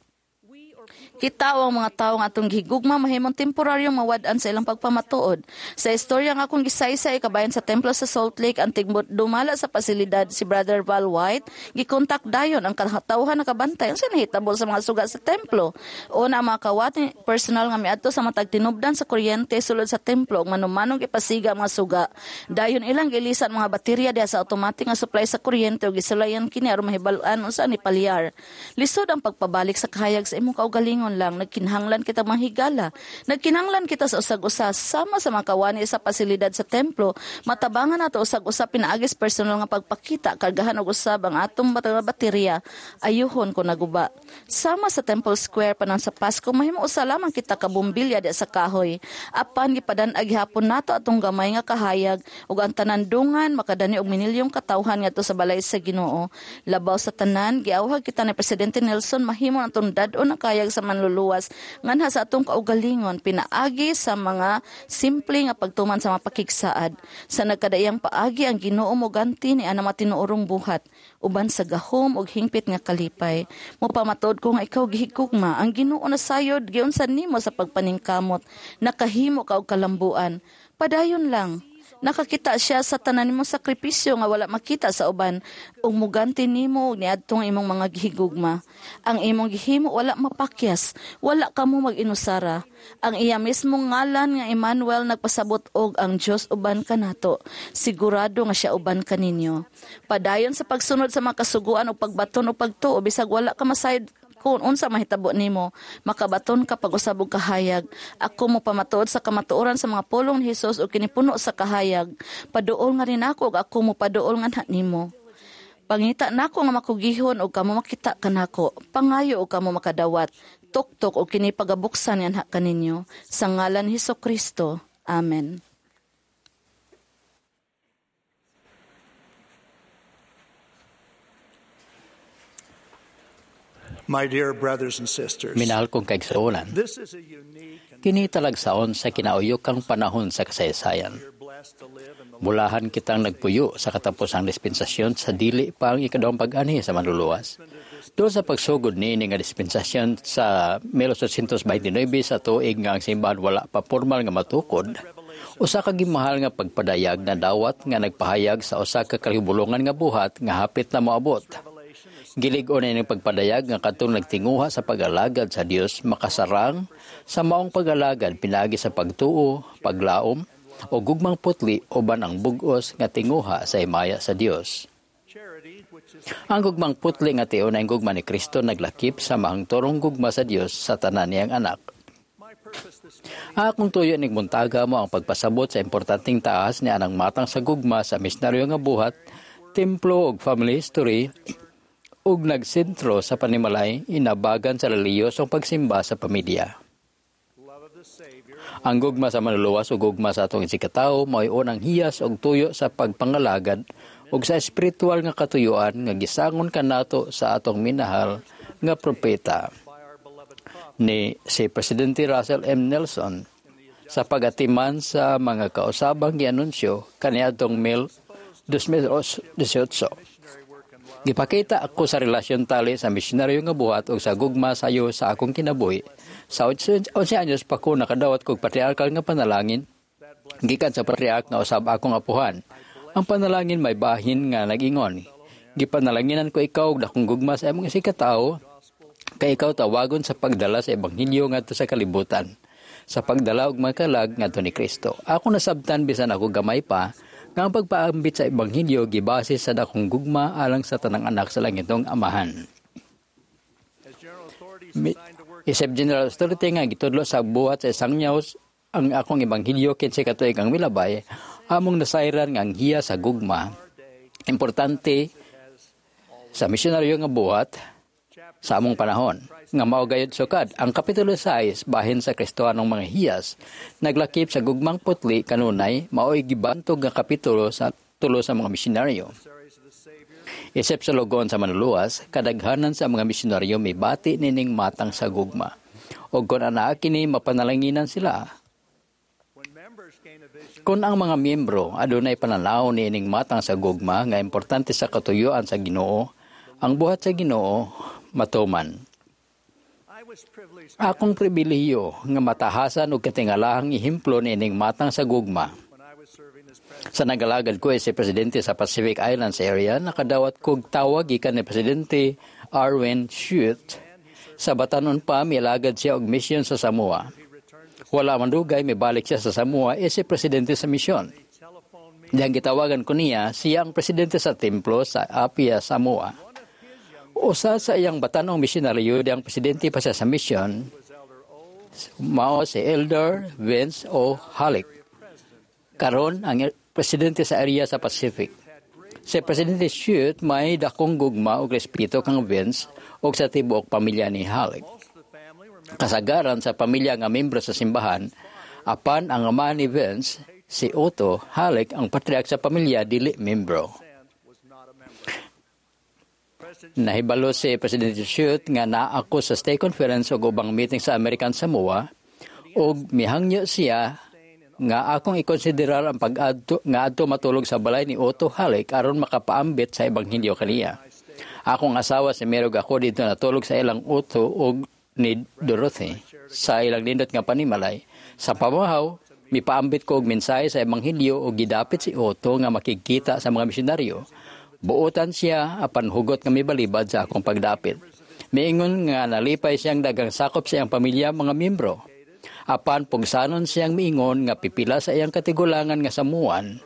Kita o ang mga tao nga atong gihigugma mahimong temporaryong mawad-an sa ilang pagpamatuod. Sa istorya nga akong gisaysay kabayan sa templo sa Salt Lake ang tigmot dumala sa pasilidad si Brother Val White gikontak dayon ang katawhan nakabantay unsa nahitabo sa mga suga sa templo. Una ang mga kawat personal nga miadto sa matag tinubdan sa kuryente sulod sa templo ug manumanong gipasiga ang mga suga. Dayon ilang gilisan mga baterya diha sa automatic nga supply sa kuryente ug gisulayan kini aron mahibal-an unsa ni palyar. Lisod ang pagpabalik sa kahayag sa imong kaugalingon lang. Nagkinahanglan kita manghigala. Nagkinahanglan kita sa usag-usa sama sa mga kawani sa pasilidad sa templo. Matabangan nato usag-usa pinaagis personal nga pagpakita kargahan og usab ang atong baterya. Ayuhon ko naguba. Sama sa Temple Square panan sa Pasko mahimo usa lamang kita ka bumbilya di sa kahoy. Apan gipadan-ag gihapon nato atong gamay nga kahayag ug ang tanan dungan makadani og minilyong katawhan ngadto sa balay sa Ginoo. Labaw sa tanan giawhag kita ni Presidente Nelson mahimo ang atong dad-on ang kahayag sa manluluwas nganha sa atong kaugalingon pinaagi sa mga simple nga pagtuman sa mga pakigsaad. Sa nagkadaiyang paagi ang Ginoo moganti ni ana matinuorong buhat uban sa gahom ug hingpit nga kalipay. Mopamatuod ko nga ikaw gihigugma ang Ginoo nasayod giunsa nimo sa pagpaningkamot nakahimo ka og kalambuan. Padayon lang. Nakakita siya sa tanan nimong sakripisyo nga wala makita sa uban ug muganti nimo og niadtong imong mga gihigugma. Ang imong gihimo wala mapakyas, wala kamo mag-inusara. Ang iya mismong ngalan nga Emmanuel nagpasabot og ang Dios uban kanato. Sigurado nga siya uban kaninyo. Padayon sa pagsunod sa mga kasuguan o pagbaton o pagtuo bisag wala ka masayod kung unsa mahitabo nimo, makabaton ka pag-usab og kahayag. Ako mo pamatuod sa kamatuoran sa mga pulong ni Hesus ug kini puno sa kahayag. Paduol nga rin ako ug ako mo paduol nga nimo. Pangita nako nga makugihon ug kamo makita kanako. Pangayo ug kamo makadawat. Tuktok og kini pagabuksan nganha kaninyo. Sa ngalan ni Hesus Kristo. Amen. My dear brothers and sisters, Minahal kong kaigsuonan, kini talagsaon sa kinauyokang panahon sa kasaysayan. Mulahan kitang nagpuyo sa katapusang dispensasyon sa dili pa ang ikaduhang pag-anhi sa manluluwas. Doon sa pagsugod niini nga dispensasyon sa mil eighteen twenty-nine sa tuig nga ang simbahan wala pa formal nga matukod, usa ka gimahal nga pagpadayag na dawat nga nagpahayag sa usa ka kalihubulongan nga buhat nga hapit na moabot. Gilig-on na ining pagpadayag nga katong nagtinguha sa pag-alagad sa Dios makasarang sa maong pag-alagad pinaagi sa pagtuo, paglaom o gugmang putli uban ang bug-os nga tinguha sa himaya sa Dios. Ang gugmang putli nga tiun ang gugma ni Kristo naglakip sa mahangturong gugma sa Dios sa tanan niyang anak. Akong tuyo ning buntaga mo ang pagpasabot sa importanteng taas ni anang matang sa gugma sa misyonaryo nga buhat, templo ug family history ug nagsentro sa panimalay inabagan sa reliyosong pagsimba sa pamilya. Ang gugma sa manluluwas ug gugma sa atong isigkatawo mao'y unang hiyas og tuyo sa pagpangalagad ug sa espiritual nga katuyuan nga gisangon kanato sa atong minahal nga propeta ni si Presidente Russell M. Nelson sa pagatiman sa mga kausabang gianunsyo kaniadtong mil twenty eighteen. Gipakita ako sa relasyon tali sa misyonaryo nga buhat ug sa gugma sayo sa akong kinabuhi. Sa eleven anyos pa ko nakadawat kog patriarkal nga panalangin gikan sa patriark nga usab akong apuhan. Ang panalangin may bahin nga nag-ingon. Gipanalanginan ko ikaw og dakong gugma sa imong isigkatawo kay ikaw tawagon sa pagdala sa ebanghelyo ngadto sa kalibutan, sa pagdala og makalag ngadto ni Kristo. Ako nasabtan bisan ako gamay pa nga ang pagpaambit sa ebanghelyo gibase sa dakong gugma alang sa tanang anak sa langitong amahan. Isip General Authority nga gitudlo sa buhat sa isang nyaws ang akong ebanghelyo kinsa katuig ang milabay, among nasayran nga ang hiya sa gugma importante sa misyonaryo nga buhat sa among panahon. Nga mao gayud sukad ang Kapitulo sais bahin sa Kristohanong mga hiyas naglakip sa gugmang putli kanunay mao'y gibantog nga kapitulo sa tulo sa mga misyonaryo. Isip sa logon sa Manluluwas, kadaghanan sa mga misyonaryo mibati nining matang sa gugma. O kung anaa kini, mapanalanginan sila. Kung ang mga miyembro adunay pananaw niining matang sa gugma nga importante sa katuyuan sa Ginoo, ang buhat sa Ginoo matuman. Akong pribilehiyo nga matahasan og katingalahang ehemplo niining matang sa gugma. Sa nagalagad ko si presidente sa Pacific Islands Area, nakadawat kog tawag gikan ni Presidente Arwen Shute. Sa batanon pa, mialagad siya og misyon sa Samoa. Wala man dugay, mibalik siya sa Samoa si presidente sa misyon. Diyang gitawagan ko niya, siya ang presidente sa templo sa Apia, Samoa. Usa sa iyang batanong misyonaryo, diyang presidente pa siya sa misyon, mao si Elder Vince O. Halik. Karon ang presidente sa area sa Pacific. Si Presidente Shute may dakong gugma og respeto kang Vince og sa tibuok pamilya ni Halik. Kasagaran sa pamilya nga membro sa simbahan, apan ang ama ni Vince, si Otto Halik, ang patriark sa pamilya, dili membro. Nahibalo si Presidente Shute nga naa ako sa stake conference ug ubang meeting sa American Samoa ug mihangyo siya nga akong ikonsiderar ang pag-adto nga adto matulog sa balay ni Otto Halik aron makapaambit sa ebanghelyo kaniya. Akong asawa si Mary ug ako didto natulog sa ilang Otto ug ni Dorothy sa ilang nindot nga panimalay. Sa pamahaw, mipaambit ko og mensahe sa ebanghelyo ug gidapit si Otto nga makigkita sa mga misyonaryo. Buotan siya apan hugot nga mibalibad sa akong pagdapit. Miingon nga nalipay siyang dagang sakop sa iyang pamilya mga miyembro. Apan pugsanon siyang miingon nga pipila sa iyang katigulangan nga Samoan,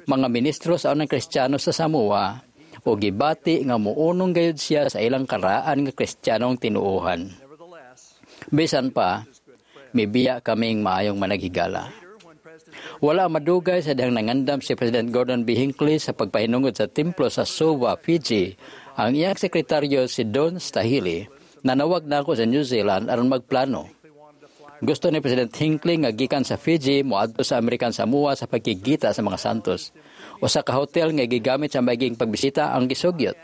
mga ministro sa unang Kristiyano sa Samoa, o gibati nga muunong gayud siya sa ilang karaan nga Kristiyanong tinuohan. Bisan pa, mibiya kaming maayong managhigala. Wala madugay sa dihang nangandam si President Gordon B. Hinckley sa pagpahinungod sa templo sa Suva, Fiji, ang iyang sekretaryo si Don Stahili nanawag na ako sa New Zealand aron magplano. Gusto ni President Hinckley nga gikan sa Fiji moadto sa American Samoa sa pagkigita sa mga santos. Usa ka hotel nga gigamit sa maging pagbisita ang gisugyot.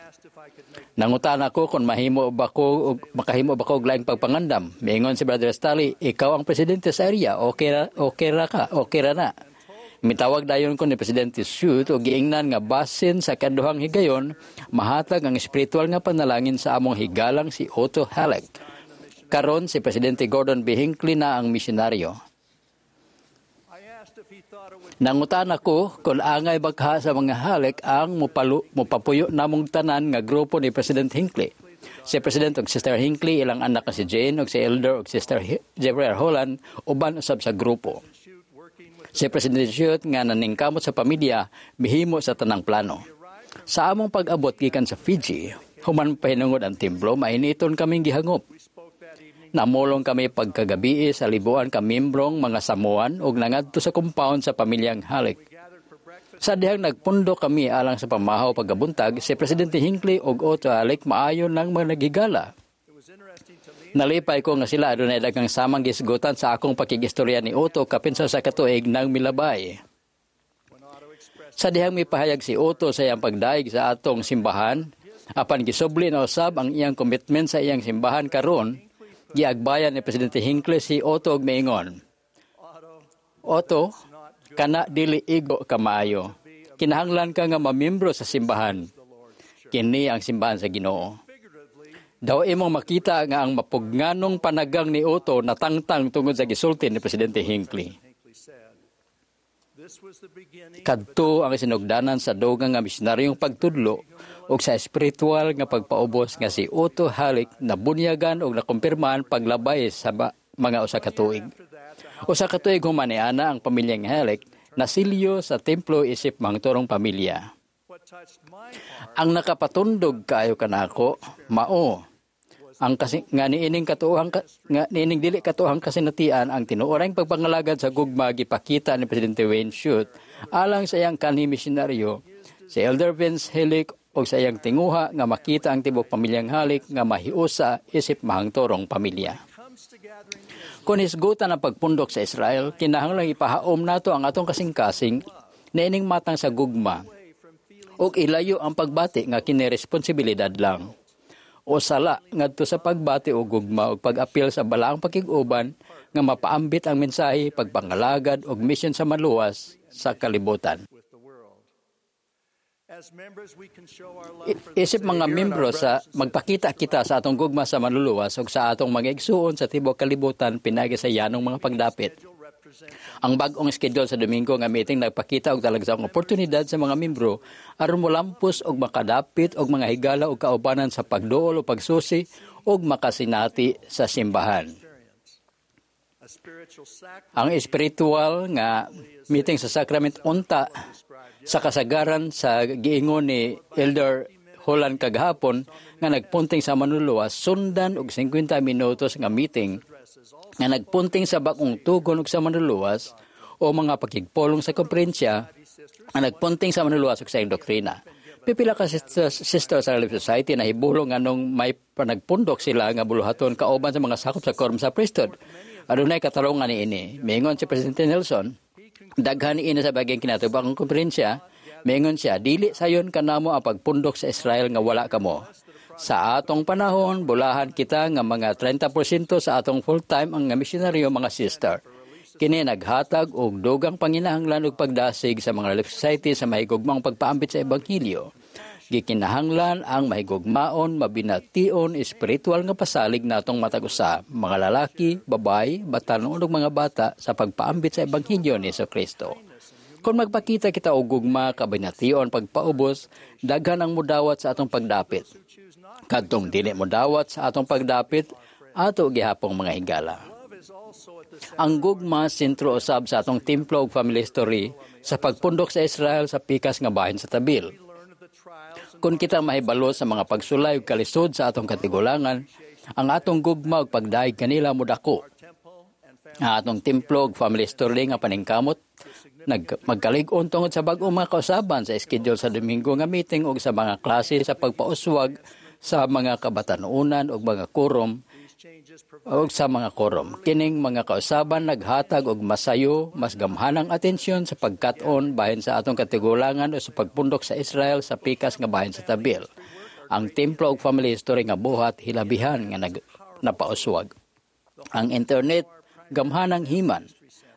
Nangutan ako kung mahimo ba ko makahimo ba ko og laing pagpangandam. Miingon si Brother Stanley, "Ikaw ang presidente sa area, okay ra, okay ra ka, okay ra na." Mitawag dayon ko ni Presidente Shute og giingnan nga basin sa kaduhang higayon mahatag ang espiritual nga panalangin sa among higalang si Otto Halik. Karon si Presidente Gordon B. Hinckley na ang misyonaryo. Nangutan ako kung angay bagha sa mga Halik ang mupalu, mupapuyo namong tanan nga grupo ni President Hinckley. Si President ug Sister Hinckley, ilang anak na si Jane ug si Elder ug Sister Jeffrey R. Holland uban usab sa grupo. Si President Shute nga naningkamot sa pamilya mihimo sa tanang plano. Sa among pag-abot gikan sa Fiji, human pahinungod ang templo, mainiton kaming gihangop. Namulong kami pagkagabi sa libuan ka membrong mga Samoan ug nangadto sa compound sa pamilyang Halik. Sa dihang nagpundo kami alang sa pamahaw pagkabuntag, si Presidente Hinckley ug Otto Halik maayo nang mga naghigala. Nalipay ko nga sila adunay daghang samang gisgutan sa akong pakigistorya ni Otto kapin sa usa ka tuig nang milabay. Sa dihang mipahayag si Otto sa iyang pagdaig sa atong simbahan, apan gisubli na usab ang iyang commitment sa iyang simbahan karon, giagbayan ni Presidente Hinckley si Otto og miingon, "Otto, kana dili igo kamaayo. Kinahanglan ka nga mamiyembro sa simbahan. Kini ang simbahan sa Ginoo." Daw imong makita nga ang mapugnganong panagang ni Otto natangtang tungod sa gisulti ni Presidente Hinckley. Kadto ang sinugdanan sa dugang nga misyonaryong pagtudlo ug sa espiritual nga pagpaubos nga si Otto Halik nabunyagan ug nakumpirmahan paglabay sa mga usa ka tuig. Usa ka tuig human ni ana ang pamilyang Halik nasilyo sa templo isip mangturong pamilya. Ang nakapatundog kaayo kanako mao ang kasi nga niining katuohang nga niining dili katuohang kasinatian ang tinuorang pagpangalagad sa gugma gipakita ni Presidente Wayne Shute alang sa iyang kanhi misyonaryo si Elder Vince Halik o sa iyang tinguha nga makita ang tibok pamilyang halik nga mahiusa isip mahangturong pamilya. Kung hisgutan ang pagpundok sa Israel, kinahanglang ipahaom nato ang atong kasing-kasing na ining matang sa gugma ug ilayo ang pagbati nga kini responsibilidad lang. O sala ngadto sa pagbati og gugma ug pag-apil sa balaang pakig-uban nga mapaambit ang mensahe, pagpangalagad ug misyon sa maluwas sa kalibutan. Isip mga membro sa magpakita kita sa atong gugma sa manluluwas ug sa atong mga igsuon sa tibuok kalibutan pinaagi sa yanong mga pagdapit. Ang bag-ong schedule sa Domingo nga meeting nagpakita og talagsaong oportunidad sa mga membro aron molampos og makadapit og mga higala og kaubanan sa pagduol o pagsusi og makasinati sa simbahan. Ang espiritual nga meeting sa sacrament unta sa kasagaran sa giingon ni Elder Holland kagahapon nga nagpunting sa manluluwas sundan og singkwenta minutos nga meeting nga nagpunting sa bag-ong tugon og sa manluluwas o mga pakigpulong sa konferensya nga nagpunting sa manluluwas og sa iyang doktrina. Pipila ka sisters, sister sa Relief Society na hibulong nganong may panagpundok sila nga buluhaton kauban sa mga sakop sa quorum sa priesthood. Adunay katarungan niini. Miingon si Presidente Nelson, daghan niini sa baging kinatubang konferensya. Miingon siya, dili sayon kanamo ang pagpundok sa Israel nga wala kamo. Sa atong panahon, bulahan kita nga mga trenta porsyento sa atong full-time ang nga misyonaryo mga sister. Kini naghatag og dugang panginahanglan og pagdasig sa mga Relief Society sa mahigugmaong pagpaambit sa Ebanghelyo. Gikinahanglan ang mahigugmaon, mabination, espiritual nga pasalig natong matag usa, mga lalaki, babae, batan-on ug mga bata sa pagpaambit sa Ebanghelyo ni Jesucristo. Kung magpakita kita og gugma, kabination, pagpaubos, daghan ang mudawat sa atong pagdapit. Kadtong dili modawat sa atong pagdapit, ato gihapong mga higala. Ang gugma sentro usab sa atong templo ug family history sa pagpundok sa Israel sa pikas nga bahin sa tabil. Kung kita mahibalo sa mga pagsulay ug kalisod sa atong katigulangan, ang atong gugma ug pagdayeg kanila modako. Ang atong templo ug family history nga paningkamot nag magkalig-on tungod sa bag-ong mga kausaban sa schedule sa Domingo nga meeting ug sa mga klase sa pagpauswag sa mga kabatanunan ug mga quorum ug sa mga quorum. Kining mga kausaban naghatag og masayo, mas gamhanang atensyon sa pagkat-on bahin sa atong katigulangan o sa pagpundok sa Israel sa pikas nga bahin sa tabil. Ang templo ug family history nga buhat hilabihan nga nag, napauswag. Ang internet gamhanang himan.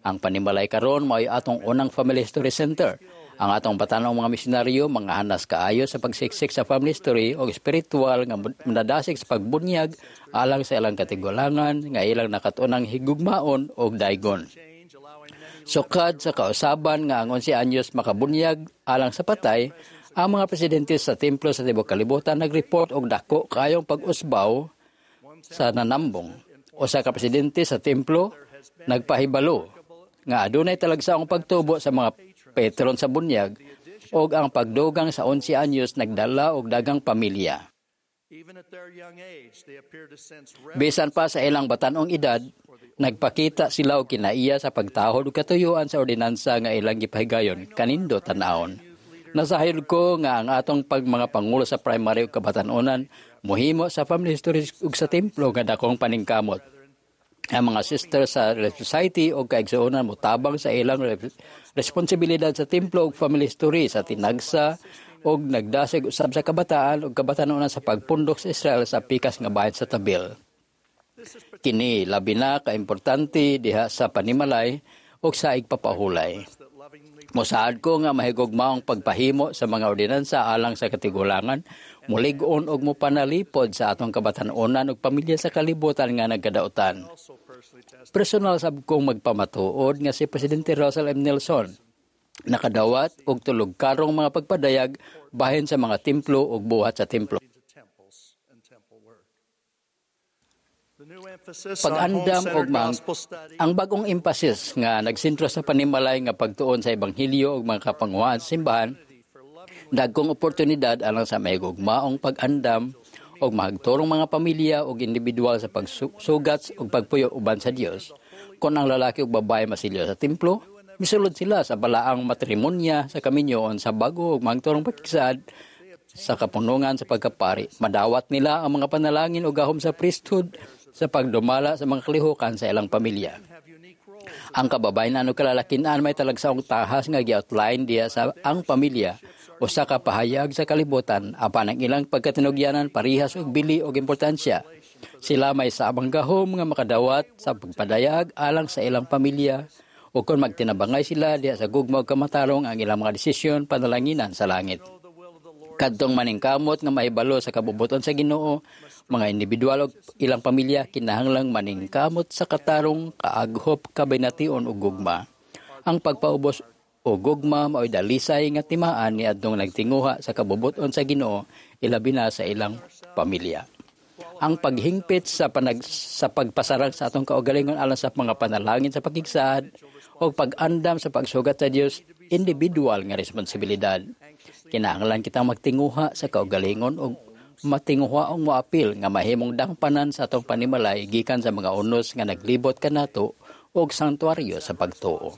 Ang panimalay karon mao'y atong unang family history center. Ang atong batanong mga misyonaryo mga hanas kaayo sa pagsiksik sa family history o espiritual nga nadasig sa pagbunyag alang sa ilang katigulangan nga ilang nakatunang higugmaon og daygon. Sukad sa kausaban nga ang onse anyos makabunyag alang sa patay, ang mga presidente sa templo sa tibuok kalibutan nagreport og dako kaayong pag-usbaw sa nanambong. Usa ka presidente sa templo nagpahibalo nga adunay talagsaong pagtubo sa mga patron sa bunyag og ang pagdugang sa onse anyos nagdala og dagang pamilya. Bisan pa sa ilang batan-ong edad, nagpakita sila og kinaiya sa pagtahod og katuyuan sa ordinansa nga ilang gipahigayon kanindo tan-awon. Nasahil ko nga ang atong pag mga pangulo sa primary ug kabatan-onan mohimo sa family history ug sa templo nga dakong paningkamot. Ang mga sister sa Relief Society o kaigsuonan motabang sa ilang responsibilidad sa templo ug family history sa tinagsa og nagdasig usab sa kabataan ug kabatanunan sa pagpundok sa Israel sa pikas nga bahin sa tabil. Kini labi na kaimportante diha sa panimalay ug sa igpapahulay. Mosaad ko nga mahigugmaong pagpahimo sa mga ordinansa alang sa katigulangan, mulig-on og mopanalipod sa atong kabatan-onan ug pamilya sa kalibutan nga nagkadautan. Personal sab kong magpamatuod nga si Presidente Russell M. Nelson nakadawat og tulog karong mga pagpadayag bahin sa mga templo ug buhat sa templo. Pag-andam og mang, ang bagong emphasis nga nagsentro sa panimalay nga pagtuon sa ebanghelyo ug mga kapanguhaan sa simbahan, dagkong oportunidad alang sa mahigugmaong pag-andam og mahagturong mga pamilya ug individual sa pagsugat ug pagpuyo uban sa Dios. Kon ang lalaki ug babae masilyo sa templo, misulod sila sa balaang matrimonya sa kaminyoon sa bago ug mahagturong pakigsaad sa kapunungan sa pagkapari. Madawat nila ang mga panalangin o gahom sa priesthood sa pagdumala sa mga kalihukan sa ilang pamilya. Ang kababayenan o kalalakinan may talagsaong tahas nga gi-outline diya sa ang pamilya usa ka pahayag sa kalibutan apan ang ilang pagkatinugyanan parihas og bili og importansya. Sila may saabang gahom nga makadawat sa pagpadayag alang sa ilang pamilya o kung magtinabangay sila diha sa gugma ug kamatarong ang ilang mga desisyon panalanginan sa langit. Kadtong maningkamot nga mahibalo sa kabubuton sa Ginoo, mga individual ug ilang pamilya kinahanglang maningkamot sa katarong, kaaghop, kabination ug gugma. Ang pagpaubos o gugma mao'y dalisay nga timaan niadtong nagtinguha sa kabubuton sa Ginoo, ilabi na sa ilang pamilya. Ang paghingpit sa panag sa pagpasarang sa atong kaugalingon alang sa mga panalangin sa pakigsaad o pag-andam sa pagsugat sa Dios, individual nga responsibilidad. Kinahanglan kitang magtinguha sa kaugalingon og matinguha ang moapil nga mahimong dangpanan sa atong panimalay gikan sa mga unos nga naglibot kanato og santuaryo sa pagtuo.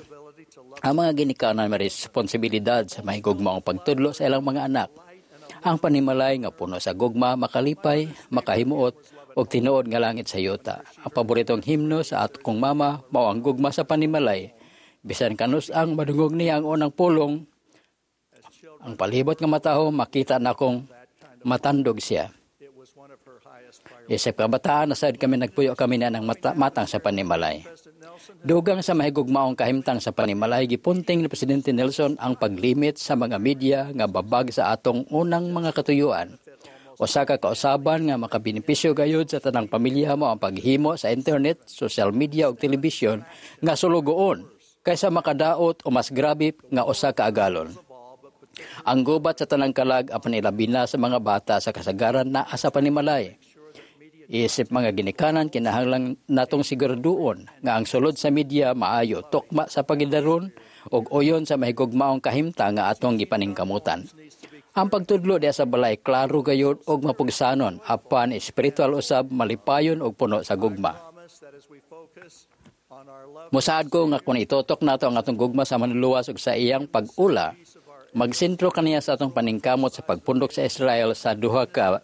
Ang mga ginikanan may responsibilidad sa mahigugmaong pagtudlo sa ilang mga anak. Ang panimalay nga puno sa gugma, makalipay, makahimuot og tinuod nga langit sa yuta. Ang paboritong himno sa akong mama mao ang gugma sa panimalay. Bisan kanus ang madungog niya ang unang pulong, ang palibot nga mataho makita na kong matandog siya. Isip kabataan, nasad kami nagpuyo kami na ng mata, matang sa panimalay. Dugang sa mahigugmaong kahimtang sa panimalay, gipunting ni Presidente Nelson ang paglimit sa mga media nga babag sa atong unang mga katuyuan. Usa ka kausaban nga makabenepisyo gayud sa tanang pamilya mo ang paghimo sa internet, social media ug telebisyon nga sulugoon kaysa makadaot o mas grabe nga usa ka agalon. Ang gubat sa tanang kalag apan ilabi na sa mga bata sa kasagaran naa sa panimalay. Isip mga ginikanan, kinahanglan natong siguraduon nga ang sulod sa media maayo, tukma sa pagidaron ug uyon sa mahigugmaong kahimtang nga atong gipaningkamutan. Ang pagtudlo diha sa balay klaro gayud ug mapugsanon apan espiritual usab, malipayon ug puno sa gugma. Musaad ko nga kung itutok nato ang atong gugma sa manluluwas ug sa iyang pag-ula, magsentro kaniya sa atong paningkamot sa pagpundok sa Israel sa duha ka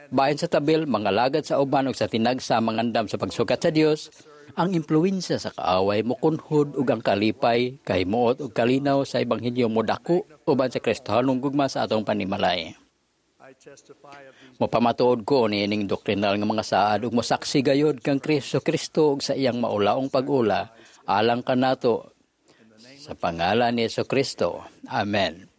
bahin sa tabil, mga lagad sa uban ug sa tinagsa mangandam sa pagsukat sa Dios, ang impluwensya sa kaaway mokunhod ug ang kalipay, kahimuot ug kalinaw sa ebanghelyo modako uban sa Kristohanong gugma sa atong panimalay. Mopamatuod ko niining doktrinal nga mga saad ug mosaksi gayod kang Kristo Kristo ug sa iyang maulaong pag-ula alang kanato sa pangalan ni Hesus Kristo. Amen.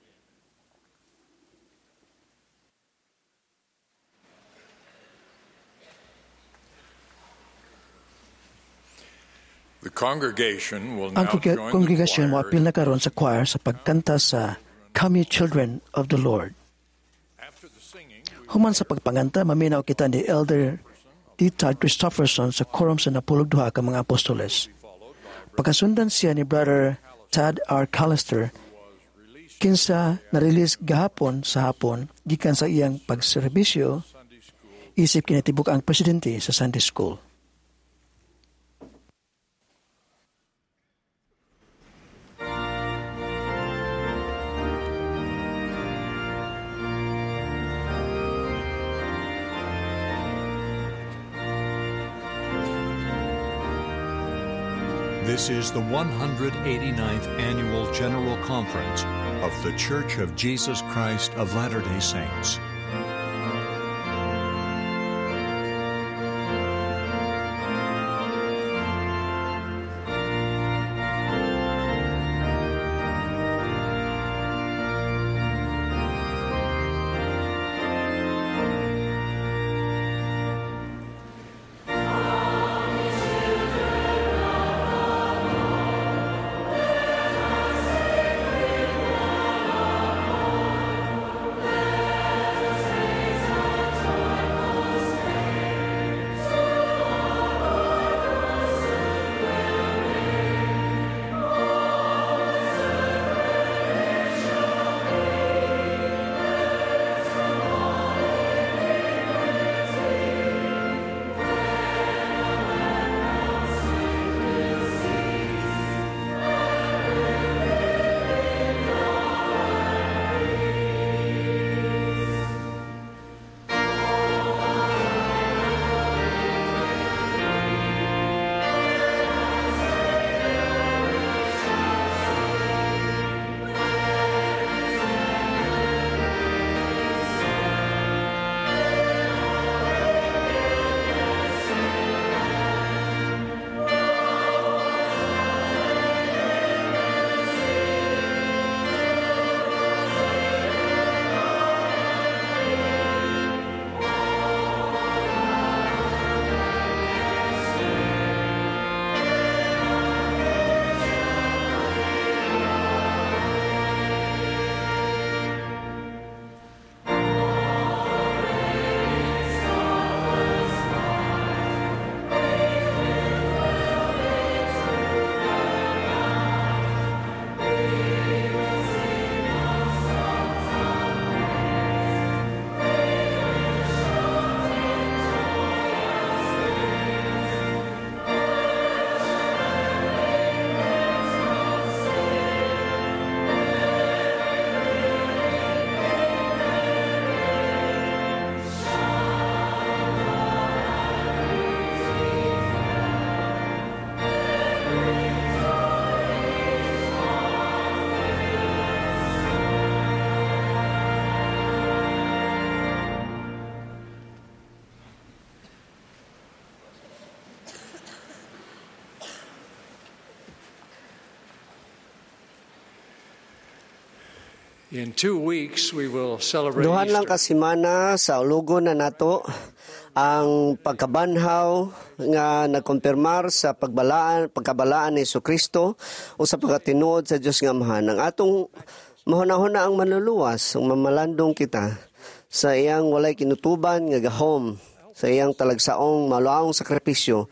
The congregation will now Ang join the kongregasyon choir moapil na karon sa choir sa pagkanta sa Come Ye Children of the Lord. Human sa pagpanganta, maminaw kita ni Elder D. Todd Christofferson sa quorum sa napulog duha ka mga apostoles. Pagkasundan siya ni Brother Tad R. Callister, kinsa na-release gahapon sa hapon gikan sa iyang pagserbisyo, isip kinatibuk ang presidente sa Sunday School. This is the one hundred eighty-ninth Annual General Conference of The Church of Jesus Christ of Latter-day Saints. Let In two weeks, we will celebrate Duhan lang Easter. ka semana saulugon na nato ang pagkabanhaw nga nagkumpirmar sa pagbalaan pagkabalaan ni Kristo o sa pagkatinuod sa Dios nga Amahan. Ang atong mahuna-huna ang manluluwas, ang mamalandong kita sa iyang walay kinutuban nga gahom, sa iyang talagsaong maluawong sakripisyo.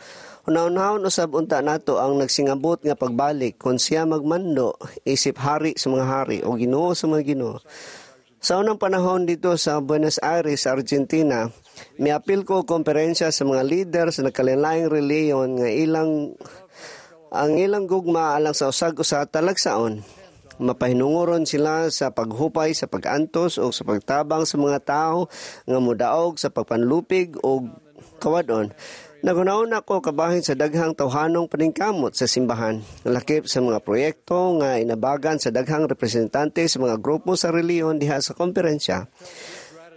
Hunahunahon usab unta nato ang nagsingabot nga pagbalik kung siya magmando isip hari sa mga hari o Ginoo sa mga Ginoo. Sa unang panahon dito sa Buenos Aires, Argentina, miapil ko konferensya sa mga leader sa nagkalainlaing relihiyon nga ilang ang ilang gugma alang sa usag usa talagsaon. Mapahinunguron sila sa paghupay sa pag-antos o sa pagtabang sa mga tao nga mudaog sa pagpanlupig o kawadon. Naghunahuna ko kabahin sa daghang tawhanong paningkamot sa simbahan, lakip sa mga proyekto nga inabagan sa daghang representante sa mga grupo sa relihiyon diha sa konferensya.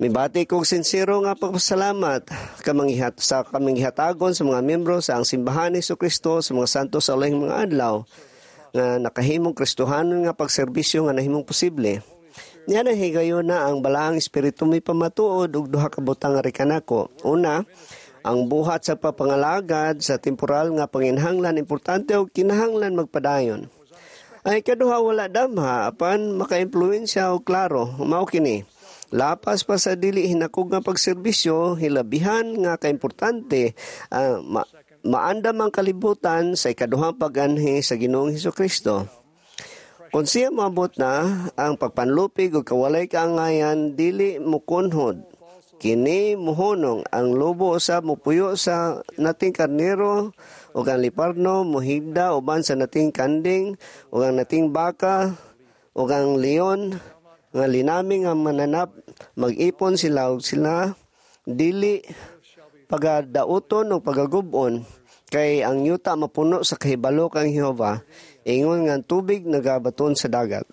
Mibati kog sinsero nga pagpasalamat kamanggihat sa kamanggihatagon sa mga miyembro sa ang simbahan ni Kristo sa mga santos sa ulahing mga adlaw nga nakahimong Kristohanon nga pagserbisyo nga nahimong posible. Niya na higayon na ang balaang espiritu may pamatuod og duha ka butang nga kanako. Una, ang buhat sa papangalagad sa temporal nga panginhanglan importante og kinahanglan magpadayon. Ay kaduha wala damha apan makaimpluwensya og klaro mao kini. Lapas pa sa dili hinakog nga pagserbisyo hilabihan nga kaimportante uh, ma- maandam ang kalibutan sa ikaduhang pag-anhi sa Ginoong Hesukristo. Kung siya moabot na ang pagpanlupig ug kawalay kaangayan dili mukunhod kini muhunong ang lobo usab mupuyo sa nating karnero ug ang leopardo muhigda uban sa nating kanding ug ang nating baka ug ang leon nga linaming nga mananap mag-ipon sila ug sila dili pagadauton o pagagubon kay ang yuta mapuno sa kahibalo kang Jehova ingon nga ang tubig nagabaton sa dagat.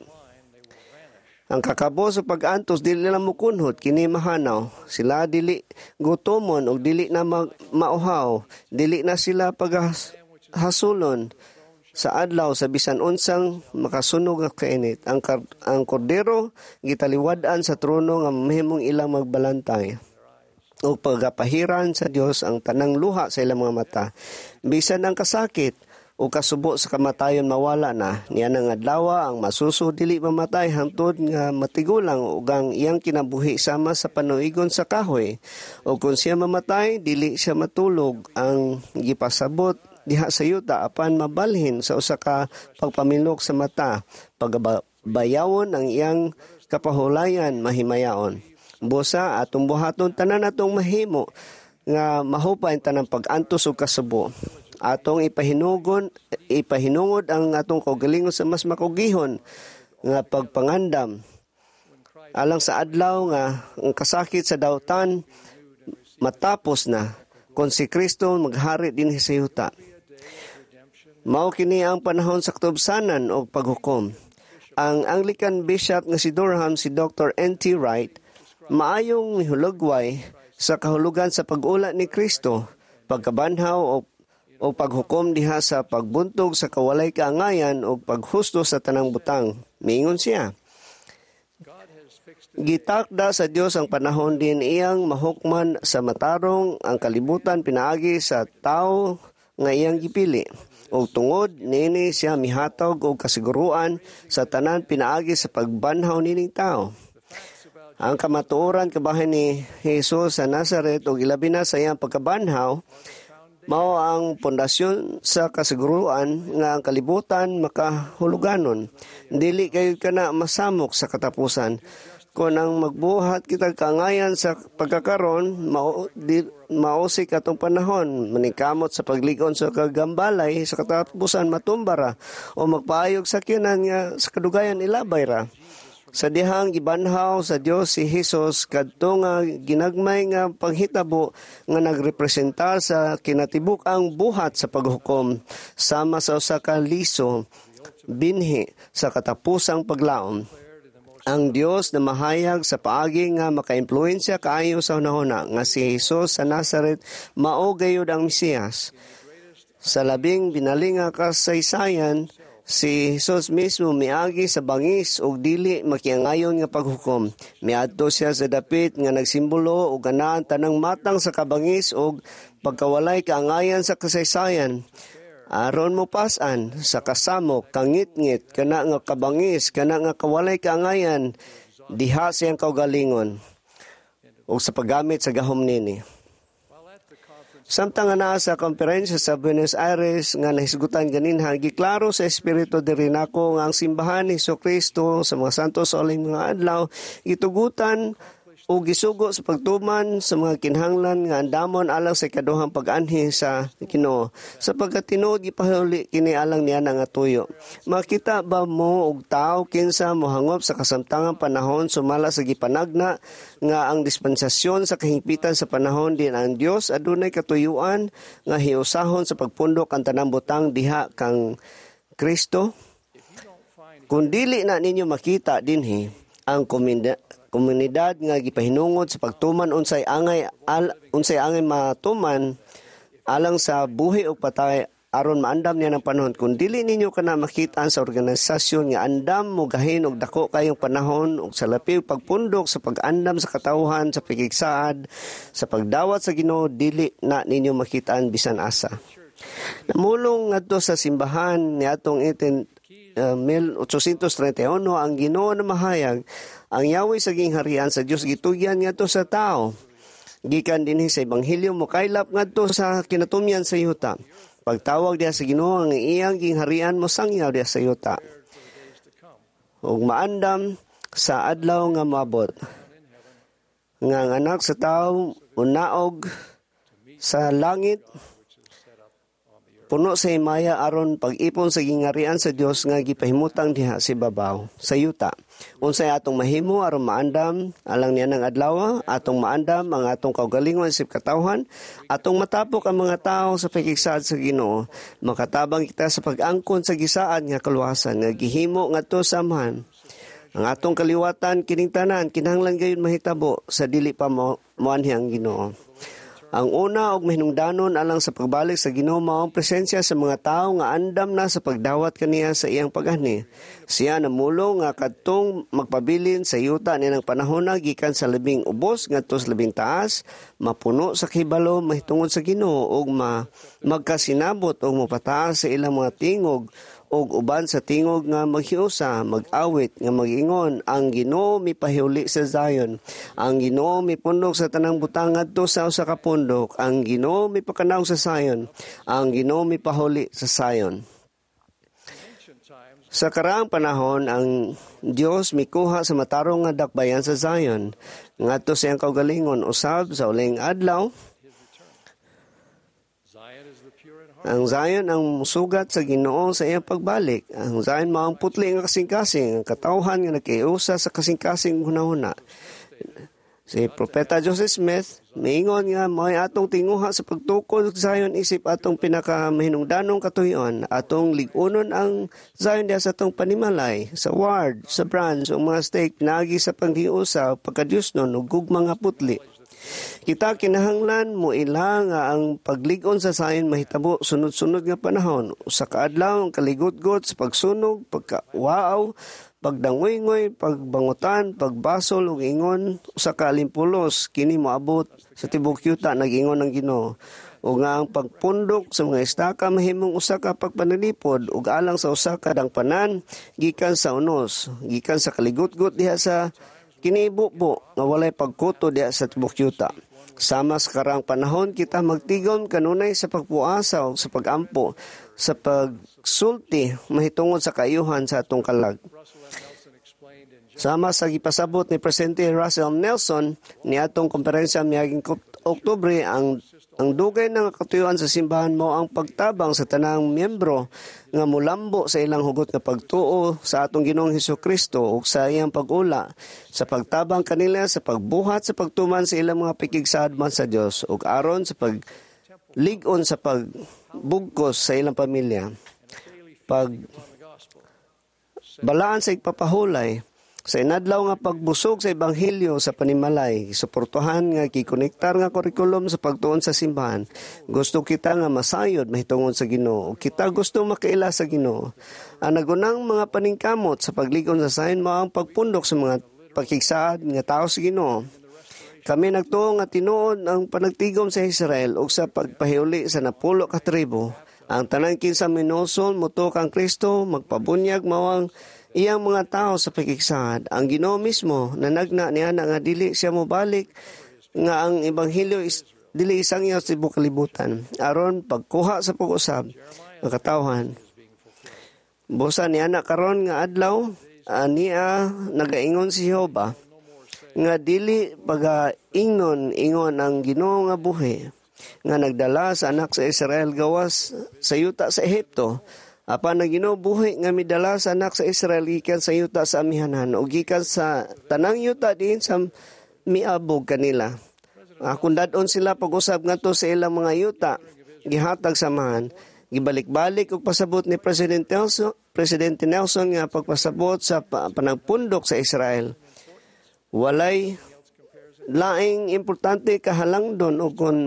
Ang kakabos sa pag-antos dili lang mukunhod kini mahanaw sila dili gutomon og dili na mag, mauhaw dili na sila paghasulon sa adlaw sa bisan unsang makasunog nga kainit ang kar, ang kordero gitaliwad-an sa trono nga mahimong ilang magbalantay o pagapahiran sa Dios ang tanang luha sa ilang mga mata bisan ang kasakit o kasubo sa kamatayon mawala na niya nang adlaw ang masuso dili mamatay hangtod nga matigulang ug ang iyang kinabuhi sama sa panuigon sa kahoy o kung siya mamatay dili siya matulog ang gipasabot diha sa yuta apan mabalhin sa usa ka pagpamilok sa mata pagabayawon ang iyang kapahulayan mahimayaon busa atong buhaton tanan atong mahimo nga mahupay ang tanang pag-antos ug kasubo atong ipahinugon ipahinungod ang atong kaugalingon sa mas makugihon nga pagpangandam alang sa adlaw nga ang kasakit sa dautan matapos na kung si Kristo maghari dinhi sa yuta. Mao kini ang panahon sa katubsanan og paghukom. Ang Anglican Bishop nga si Durham si Dr. N.T. Wright maayong mihulagway sa kahulugan sa pag-ula ni Kristo, pagkabanhaw o o paghukom diha sa pagbuntog sa kawalay kaangayan o paghusto sa tanang butang. Miingon siya. Gitakda sa Dios ang panahon din iyang mahukman sa matarong ang kalibutan pinaagi sa tao nga iyang gipili. O tungod niini siya mihatag og kasiguruan sa tanan pinaagi sa pagbanhaw nining tao. Ang kamatuoran kabahin ni Jesus sa Nazaret ug ilabi na sa iyang pagkabanhaw mao ang pundasyon sa kasiguruan nga ang kalibutan makahuluganon. Dili kayo kana masamok sa katapusan. Kung ang magbuhat kitag kaangayan sa pagkakaron, mao, di, mausik atong panahon, maningkamot sa pagligon sa kagambalay, sa katapusan matumbara, o magpaayog sa kinan nga sa kadugayan ilabay ra. Sa dihang gibanhaw sa Dios si Hesus kadto nga ginagmay nga panghitabo nga nagrepresentar sa kinatibuk-ang buhat sa paghukom sama sa usa ka liso binhi sa katapusang paglaom. Ang Dios na mahayag sa paagi nga makaimpluwensya kaayo sa hunahuna nga si Hesus sa Nazaret mao gayud ang Mesiyas. Sa labing binali nga kasaysayan Si Jesus mismo miagi sa bangis ug dili makiangayon nga paghukom. Miadto siya sa dapit nga nagsimbolo og anaa ang tanang matang sa kabangis ug pagkawalay kaangayan sa kasaysayan. Aron mo pasan sa kasamok, kangitngit, kana nga kabangis, kana nga kawalay kaangayan, diha siyang kaugalingon ug sa paggamit sa gahom nini. Samtang nga naa sa komperensya sa Buenos Aires nga nahisgutan ganinha, giklaro sa Espiritu diri nako nga ang simbahan ni Kristo sa mga santos sa uling mga adlaw gitugutan o gisugo sa pagtuman sa mga kinahanglan nga andamon alang sa ikaduhang pag-anhi sa Ginoo, sapagkat tinuod gipahuli kini alang niya nga tuyo. Makita ba mo og tawo kinsa mohangop sa kasamtangang panahon sumala sa gipanagna nga ang dispensasyon sa kahingpitan sa panahon din ang Dios adunay katuyuan nga hiusahon sa pagpundok ang tanang butang diha kang Kristo? Kung dili na ninyo makita dinhi ang komunidad komunidad nga gipahinungod sa pagtuman unsay angay al, unsay angay matuman alang sa buhi o patay aron maandam niya ng panahon, kung dili ninyo kana makita sa organisasyon nga andam mo gahin og dako kayong panahon ug sa lapiw pagpundok sa pag-andam sa katawhan sa pagigsaad sa pagdawat sa Ginoo, dili na ninyo makitaan bisan asa. Namulong ngadto sa simbahan niadtong eighteen uh, eighteen thirty-one, ang Ginoo na mahayag ang yawi sa gingharian sa Dios gitugyan ngadto sa tao gikan dinhi sa ebanghelyo mokaylap ngadto sa kinatumyan sa yuta. Pagtawag diha sa Ginoo, ang iyang gingharian mo sangyaw diha sa yuta ug maandam sa adlaw nga moabot nga ang anak sa tao unaog sa langit puno sa himaya aron pag-ipon sa gingarian sa Dios nga gipahimutang diha sa ibabaw sa yuta. Unsay atong mahimo aron maandam alang niya ng adlaw? Atong maandam ang atong kaugalingon isip katawhan, atong matapok ang mga tao sa pagkigsaad sa Ginoo, makatabang kita sa pag-angkon sa gisaad nga kaluwasan nga gihimo ngadto sa Amahan. Ang atong kaliwatan kining tanan kinahanglan gayud mahitabo sa dili pa mo moanhi ang Ginoo. Ang una og mahinungdanon alang sa pagbalik sa Ginoo mao ang presensya sa mga tawo nga andam na sa pagdawat kaniya sa iyang pag-anhi. Siya namulong nga kadtong magpabilin sa yuta niang panahona gikan sa labing ubos ngadto sa labing taas mapuno sa kahibalo mahitungod sa Ginoo ug ma magkasinabot ug mopataas sa ilang mga tingog ug uban sa tingog nga maghiusa, mag-awit nga mag-ingon, "Ang Ginoo mipahuli sa Zion. Ang Ginoo mipundok sa tanang butang ngadto sa usa ka pundok. Ang Ginoo mipakanaog sa Zion. Ang Ginoo mipahuli sa Zion." Sa karaang panahon, ang Dios mikuha sa matarong nga dakbayan sa Zion ngadto sa iyang kaugalingon usab sa uling adlaw. Ang Zion ang musugat sa Ginoo sa iyang pagbalik. Ang Zion mao ang putli nga kasing-kasing, ang katawhan nga nakiusa sa kasing-kasing hunahuna. Si Propeta Joseph Smith miingon nga mao'y atong tinguha sa pagtukod sa Zion isip atong pinakamahinungdanong katuyoan, atong lig-unon ang Zion diha sa atong panimalay, sa ward, sa branch, ug mga stake pinaagi sa panghiusa, pagkadyosnon ug gugma nga putli. Kita kinahanglan mo ila nga ang paglig-on sa Zion mahitabo sunod-sunod nga panahon. Usa ka adlaw ang kaligutgot sa pagsunog, pagkawaaw, pagdangoy-ngoy, pagbangutan, pagbasol ug ingon usa ka alimpulos kini moabot sa tibuok yuta, nag-ingon ang Ginoo. Ug nga ang pagpundok sa mga estaka mahimong usa ka pagpanalipod ug alang sa usa ka dangpanan gikan sa unos, gikan sa kaligutgot diha sa kinibubo nga walay pagkuto diha sa tibuok yuta. Sama sa karaang panahon, kita magtigom kanunay sa pagpuasa o sa pagampo, sa pagsulti mahitungod sa kaayuhan sa atong kalag. Sama sa gipasabot ni Presidente Russell Nelson niadtong komperensya miaging Oktubre, ang ang dugay nga katuyuan sa simbahan mao ang pagtabang sa tanang miyembro nga mulambo sa ilang hugot nga pagtuo sa atong Ginoong Hesus Kristo ug sa iyang pag-ula, sa pagtabang kanila sa pagbuhat sa pagtuman sa ilang mga pakigsaad man sa Dios ug aron sa paglig-on sa pagbugkos sa ilang pamilya. Pag balaan sa igpapahulay Sa inadlaw nga pagbusog sa ebanghelyo sa panimalay, suportahan nga gikonektar nga kurikulum sa pagtuon sa simbahan. Gusto kita nga masayod mahitungod sa Ginoo. Kita gusto makaila sa Ginoo. Ang nagunang mga paningkamot sa paglig-on sa Zion mao ang pagpundok sa mga pakigsaad nga tao sa Ginoo. Kami nagtuo nga tinuod ang panagtigom sa Israel ug sa pagpahiuli sa napulo ka tribo. Ang tanan kinsa minusol motuo kang Kristo magpabunyag mao ang iyang mga tao sa pakigsaad. Ang Ginoo mismo nanagna niya na nga dili siya mobalik nga ang ebanghelyo is dili isangyaw sa tibuok kalibutan aron pagkuha sa pag-usab ang katawhan. Busa niya na karon nga adlaw ania nagaingon si Jehova nga dili pagaingnon ingon ang Ginoo nga buhi nga nagdala sa anak sa Israel gawas sa yuta sa Ehipto apan ang Ginoo buhi nga midala sa anak sa Israel gikan sa yuta sa amihanan o gikan sa tanang yuta diin sa miabog kanila. Akong dad-on sila pag-usab ngadto sa ilang mga yuta gihatag sa amahan. Gibalik-balik og pasabot ni President Nelson, Presidente Nelson nga pagpasabot sa panagpundok sa Israel. Walay laing importante kahalangdon o kung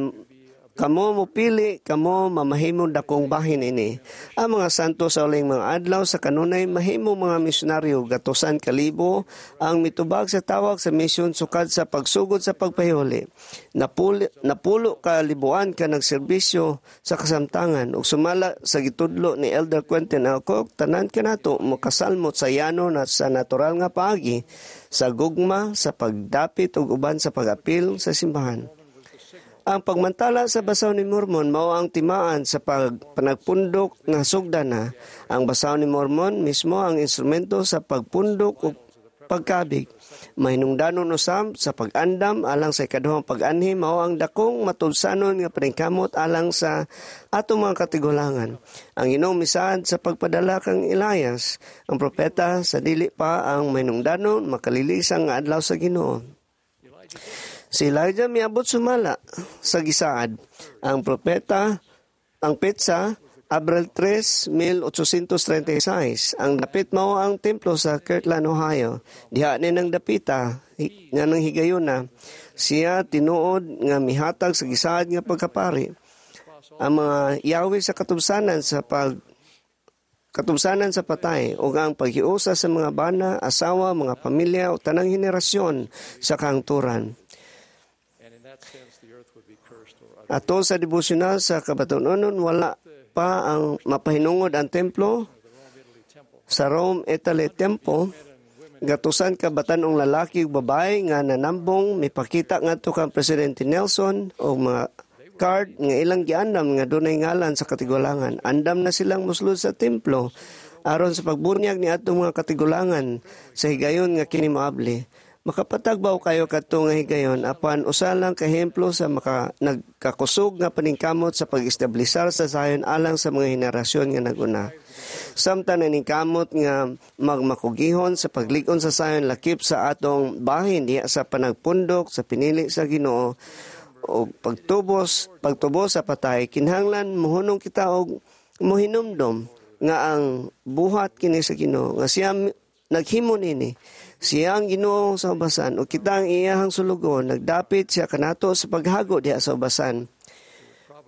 kamo mopili, kamo mamahimong dakong bahin ini. Ang mga santo sa uling mga adlaw sa kanunay mahimo mga misyonaryo gatusan kalibo ang mitubag sa tawag sa misyon sukad sa pagsugod sa pagpahuli. Napuli, napulo ka libuan ka nagserbisyo sa kasamtangan ug sumala sa gitudlo ni Elder Quentin L. Cook, tanan kanato makasalmot sa yano na sa natural nga paagi sa gugma, sa pagdapit ug uban sa pag-apil sa simbahan. Ang pagmantala sa Basaw ni Mormon mao ang timaan sa pag panagpundok nga sugdana. Ang Basaw ni Mormon mismo ang instrumento sa pagpundok ug pagkabig. Mahinungdanon usab sa pag-andam alang sa ikaduhang pag-anhi mao ang dakong matubsanon nga paningkamot alang sa atong mga katigulangan. Ang Ginoo misaad sa pagpadala kang Elias, ang propeta sa dili pa ang mahinungdanon makalilisang nga adlaw sa Ginoo. Si Elijah miabot sumala sa gisaad. Ang propeta, ang petsa, Abril tres, mil otsosentos treinta y sais. Ang dapit mao ang templo sa Kirtland, Ohio. Diha ni nang dapita, nga nang higayuna, siya tinuod nga mihatag sa gisaad nga pagkapari. Ang mga yawi sa katubsanan sa pag katubsanan sa patay o ang paghiusa sa mga bana, asawa, mga pamilya o tanang henerasyon sa kahangturan. Ato sa devosyonal sa kabatunonon, wala pa ang mapahinungod ang templo sa Rome, Italy Temple. Gatusan ka batanong lalaki ug babae nga nanambong mipakita ngadto kang Presidente Nelson o mga card nga ilang giandam nga dunay ngalan sa katigulangan. Andam na silang mosulod sa templo aron sa pagbunyag ni atong mga katigulangan sa higayon nga kini moabli. Makapatagbaw kayo kadto nga higayon apan usa lang ka ehemplo sa maka, nagkakusog nga paningkamot sa pag-establisar sa Zion alang sa mga henerasyon nga naguna. Samtang naningkamot nga magmakugihon sa paglig-on sa Zion lakip sa atong bahin diha sa panagpundok sa pinili sa Ginoo o pagtubos pagtubos sa patay, kinahanglan mohunong kita og mohinumdom nga ang buhat kini sa Ginoo nga siya naghimo nini. Siya ang Ginoo sa ubasan o kita ang iyahang sulugon, nagdapit siya kanato sa paghago diha sa ubasan.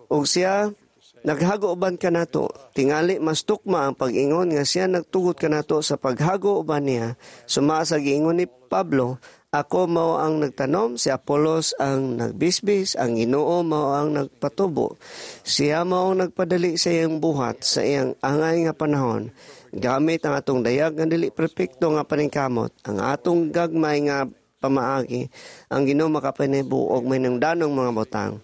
O siya naghago uban kanato, tingali mas tukma ang pag-ingon nga siya nagtugot kanato sa paghago uban niya. Suma sa giingon ni Pablo, ako mao ang nagtanom, si Apolos ang nagbisbis, ang Ginoo mao ang nagpatubo. Siya mao ang nagpadali sa iyang buhat sa iyang angay nga panahon. Gamit ang atong dayag nga dili perpekto nga paningkamot, ang atong gagmay nga pamaagi, ang Ginoo makapanebo og mahinungdanong mga butang.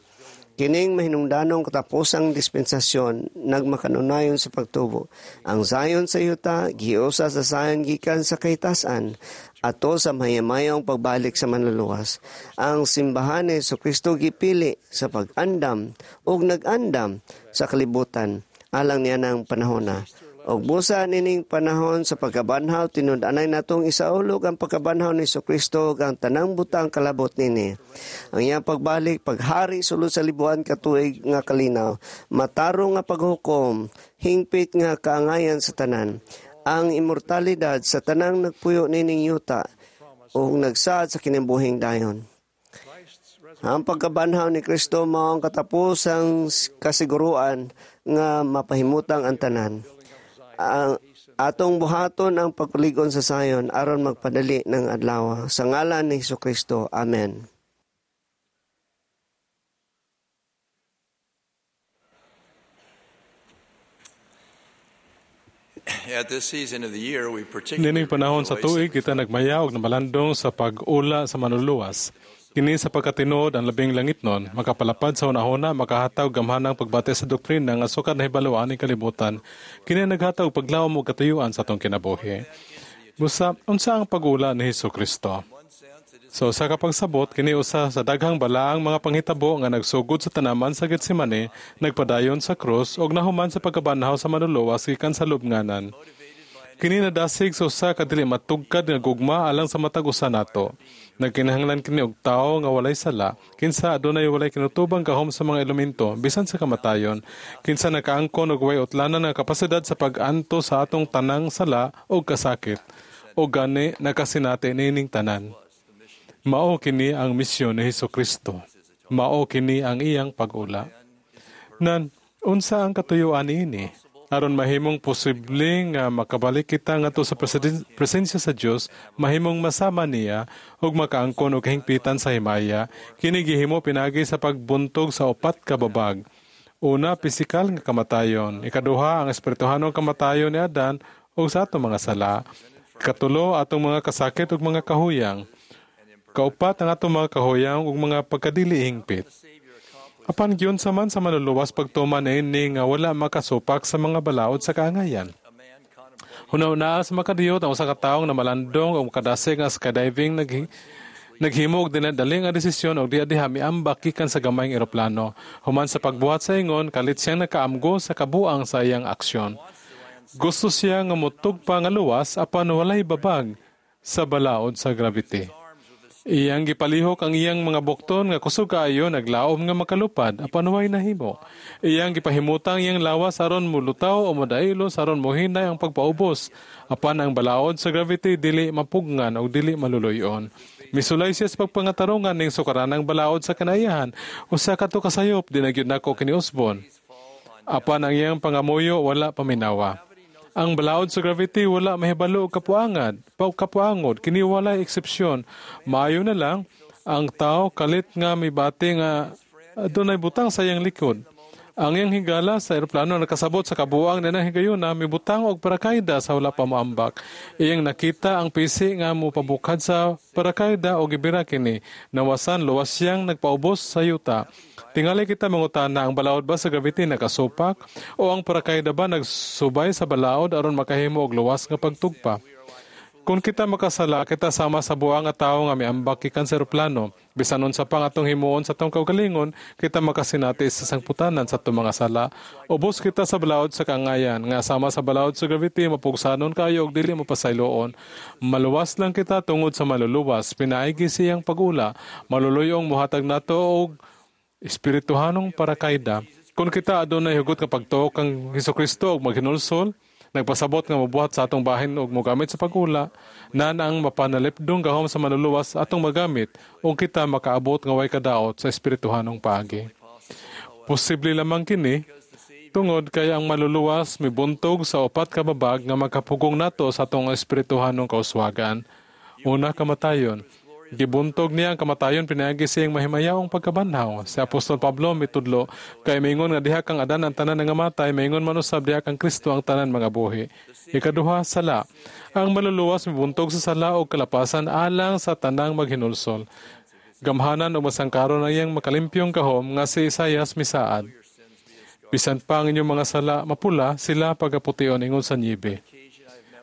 Kining mahinungdanong katapusang dispensasyon nagmakanunayon sa pagtubo. Ang Zion sa yuta, giusa sa Zion gikan sa kahitasan, ato sa mahiyamayong pagbalik sa manluluwas. Ang simbahan ni Jesucristo gipili sa pag-andam ug nag-andam sa kalibutan alang niya ng panahona. Og busa nining panahon sa pagkabanhaw, tinud-anay natong isaulog ang pagkabanhaw ni Jesucristo ug ang tanang butang kalabot nini. Ang iyang pagbalik, paghari sulod sa libuan katuig nga kalinaw, matarong nga paghukom, hingpit nga kaangayan sa tanan. Ang imortalidad sa tanang nagpuyo nining yuta, ug nagsaad sa kinabuhing dayon. Ang pagkabanhaw ni Kristo mao ang katapusang kasiguruan nga mapahimutang ang tanan. Ang atong buhaton ang pagpalig-on sa sayon aron magpadali ng adlaw. Sa ngalan ni Hesukristo. Amen. At this season of the year, we particularly Nining panahon sa tuig kita nagmaya og namalandong sa pag-ula sa manluluwas. Kini sa pagkatinuod ang labing langitnon, makapalapad sa hunahuna, makahatag gamhanang pagbati sa doktrina nga sukad nahibaluan ning kalibutan. Kini naghatag paglawom ug katuyuan sa atong kinabuhi. Busa, unsa ang pag-ula ni Hesukristo? So sa kapagsabot, kini usa sa daghang balaang mga panghitabo nga nagsugod sa tanaman sa Getsemane, nagpadayon sa krus ug nahuman sa pagkabanhaw sa manluluwas gikan sa lubnganan. Kini nadasig sa usa ka dili matugkad nga gugma alang sa matag usa nato. Nagkinahanglan kini og tawo nga walay sala, kinsa adunay walay kinutubang gahom sa mga elemento bisan sa kamatayon, kinsa nakaangkon og way utlanan nga kapasidad sa pag-anto sa atong tanang sala ug kasakit. O gani nakasinati niining tanan. Mao kini ang misyon ni Hesukristo. Mao kini ang iyang pag-ula. Nan, unsa ang katuyuan niini? Aron mahimong posible nga makabalik kita ngadto sa presensya sa Dios, mahimong masama niya ug makaangkon og kahingpitan sa himaya. Kini gihimo pinaagi sa pagbuntog sa upat ka babag. Una, pisikal nga kamatayon. Ikaduha, ang espirituhanong kamatayon ni Adan ug sa atong mga sala. Katulo, atong mga kasakit ug mga kahuyang. Kaupat, ang atong mga kahuyang ug mga pagkadili hingpit. Apan giunsa man sa manluluwas pagtuman niini nga wala makasupak sa mga balaod sa kaangayan. Huna-hunaa sa makadiyot ang usa ka tawo nga namalandong o makadasig nga skydiving nag naghimo og dinadali nga desisyon og diha diha miambak gikan sa gamayng eroplano. Human sa pagbuhat sa ingon, kalit siyang nakaamgo sa kabuang sa iyang aksyon. Gusto siya nga motugpa nga luwas apan walay babag sa balaod sa gravity. Iyang gipalihok ang iyang mga bukton nga kusog kaayo naglaom nga makalupad apan way nahimo. Iyang gipahimutang iyang lawas aron mulutaw o modailo aron mohinay ang pagpaubos apan ang balaod sa gravity dili mapugngan o dili maluluyon. Misulay siya sa pagpangatarongan ning sukaranang balaod sa kanayahan usa kadto kasayop di na gyud nako kiniusbon. Apan ang iyang pangamuyo wala paminawa. Ang balaod sa gravity wala mahibalo og kapuangad, kapuangod, kini walay eksepsyon. Maayo na lang ang tao kalit nga mibati nga adunay butang sa iyang likod. Ang iyang higala sa eroplano nakasabot sa kabuang na higayuna mibutang og parakayda sa wala pa moambak. Iyang nakita ang pisi nga mopabukad sa parakayda og gibira kini. Nawasan luwas siyang nagpaubos sa yuta. Tingali kita mangutana ang balaod ba sa gravity nakasupak o ang parakayda ba nagsubay sa balaod aron makahimo og luwas nga pagtugpa. Kung kita makasala, kita sama sa buang nga tawo nga miambak gikan sa eroplano. Bisan unsa pa nga atong himuon sa atong kaugalingon, kita makasinati sa sangputanan sa atong mga sala. Ubos kita sa balaod sa kaangayan, nga sama sa balaod sa gravity, mapugsanon kayo og dili mapasayloon. Maluwas lang kita tungod sa maluluwas, pinaigi siyang pag-ula, maluluyong mohatag nato og espirituhanong parakayda. Kung kita adunay hugot nga pagtuo kang Hesukristo og maghinulsol, nagpasabot nga mobuhat sa atong bahin og mogamit sa pag-ula, nan ang mapanalipdong gahom sa manluluwas atong magamit ug kita makaabot nga way kadaot sa espirituhanong paagi. Posible lamang kini tungod kay ang maluluwas mibuntog sa upat ka babag nga makapugong nato sa atong espirituhanong kauswagan. Una, kamatayon. Gibuntog niya ang kamatayon pinaagi sa iyang mahimayaong pagkabanhaw. Si Apostol Pablo mitudlo kay maingon nga diha kang Adan ang tanan nga matay, maingon man usab diha kang Kristo ang tanan mga buhi. Ikaduha, sala. Ang maluluwas mibuntog sa sala og kalapasan alang sa tanang maghinulsol. Gamhanan o masangkaron ang iyang makalimpyong gahom nga si Isayas misaad. Bisan pa ang inyong mga sala mapula, sila pagapution ingon sa niebe.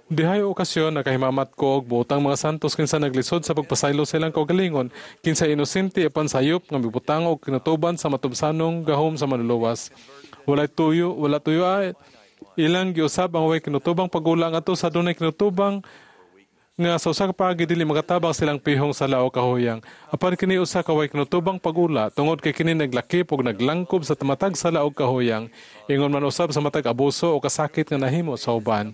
Dihay okasyon nakahimamat ko og buotang mga santos kinsa naglisod sa pagpasaylo sa ilang kaugalingon, kinsa inosente apan sayop nga mibutang og kinutuban sa matubsanong gahom sa manluluwas. Walay tuyo, wala tuyo ay ilang giusab ang way kinutubang pagula ngadto sa dunay kinutubang nga sa usa ka paagi dili makatabang silang pihong sala o kahuyang. Apan kini usa ka way kinutubang pagula tungod kay kini naglakip og naglangkob sa matag sala og kahuyang. Ingon man usab sa matag abuso o kasakit nga nahimo sa uban.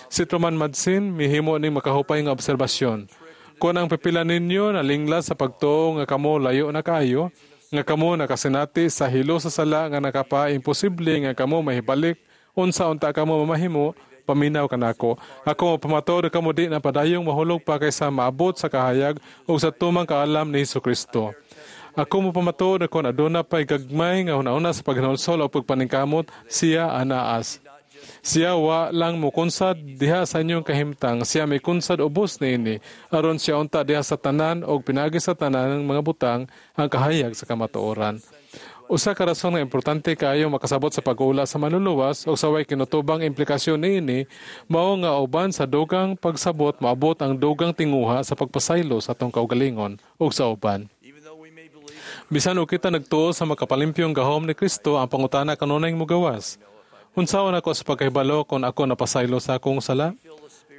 Si Truman Madsen mihimo ning makahupay nga obserbasyon. Kung ang pipila ninyo nalingla sa pagtuo nga kamo layo na kaayo, nga kamo nakasinati sa hilo sa sala nga nakapa-imposible nga kamo mahibalik, unsa unta kamo mamahimo, paminaw kanako. Ako pamatuod kamo di na padayong mahulog pa kaysa maabot sa kahayag ug sa tumang kaalam ni Hesus Kristo. Ako mo pamatuod kon aduna pay gagmay nga hunahuna sa paghinulsol o pagpaningkamot, siya anaas. Siya wa lang mukunsad diha sa inyong kahimtang, siya may kunsad ubos niini, aron siya unta diha sa tanan og pinagi sa tanan ng mga butang ang kahayag sa kamatuoran. Usa ka rason nga importante kaayo makasabot sa pag-ula sa manluluwas og sa way kinutubang implikasyon niini, mao nga uban sa dugang pagsabot maabot ang dugang tinguha sa pagpasaylo sa atong kaugalingon ug sa uban. Bisan og kita nagtuo sa makapalimpyong gahom ni Kristo, ang pangutana kanunay mugawas. Unsaon ako sa pagkahibalo kung ako napasaylo sa akong sala?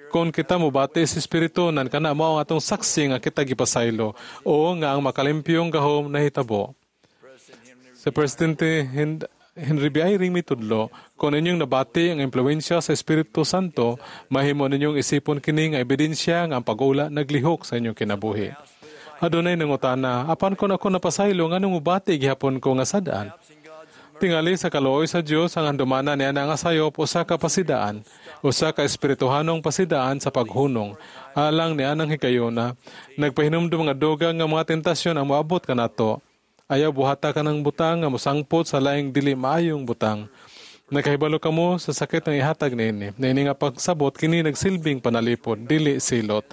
Kung kita mobati sa Espiritu, nan kana mao ang atong saksi nga kita gipasaylo o nga ang makalimpyong gahom nahitabo. Sa Presidente Henry B. Eyring mitudlo, kung inyong nabati ang impluwensya sa Espiritu Santo, mahimo ninyong isipon kini nga ebidensya nga ang pag-ula naglihok sa inyong kinabuhi. Adunay nangutana, apan kung ako napasaylo, nganong mobati gihapon ko nga sadaan? Tingali sa kaluoy sa Dios ang handumanan niya nga sayop usa ka pasidaan, usa ka espirituhanong pasidaan sa paghunong. Alang niya nang higayona, nagpahinumdum nga dugang nga mga tentasyon ang moabot kanato. Ayaw buhata ka ng butang nga mosangpot sa laing dili maayong butang. Nakahibalo kamo sa sakit ng ihatag niini. Niini nga pagsabot kini nagsilbing panalipod, dili silot.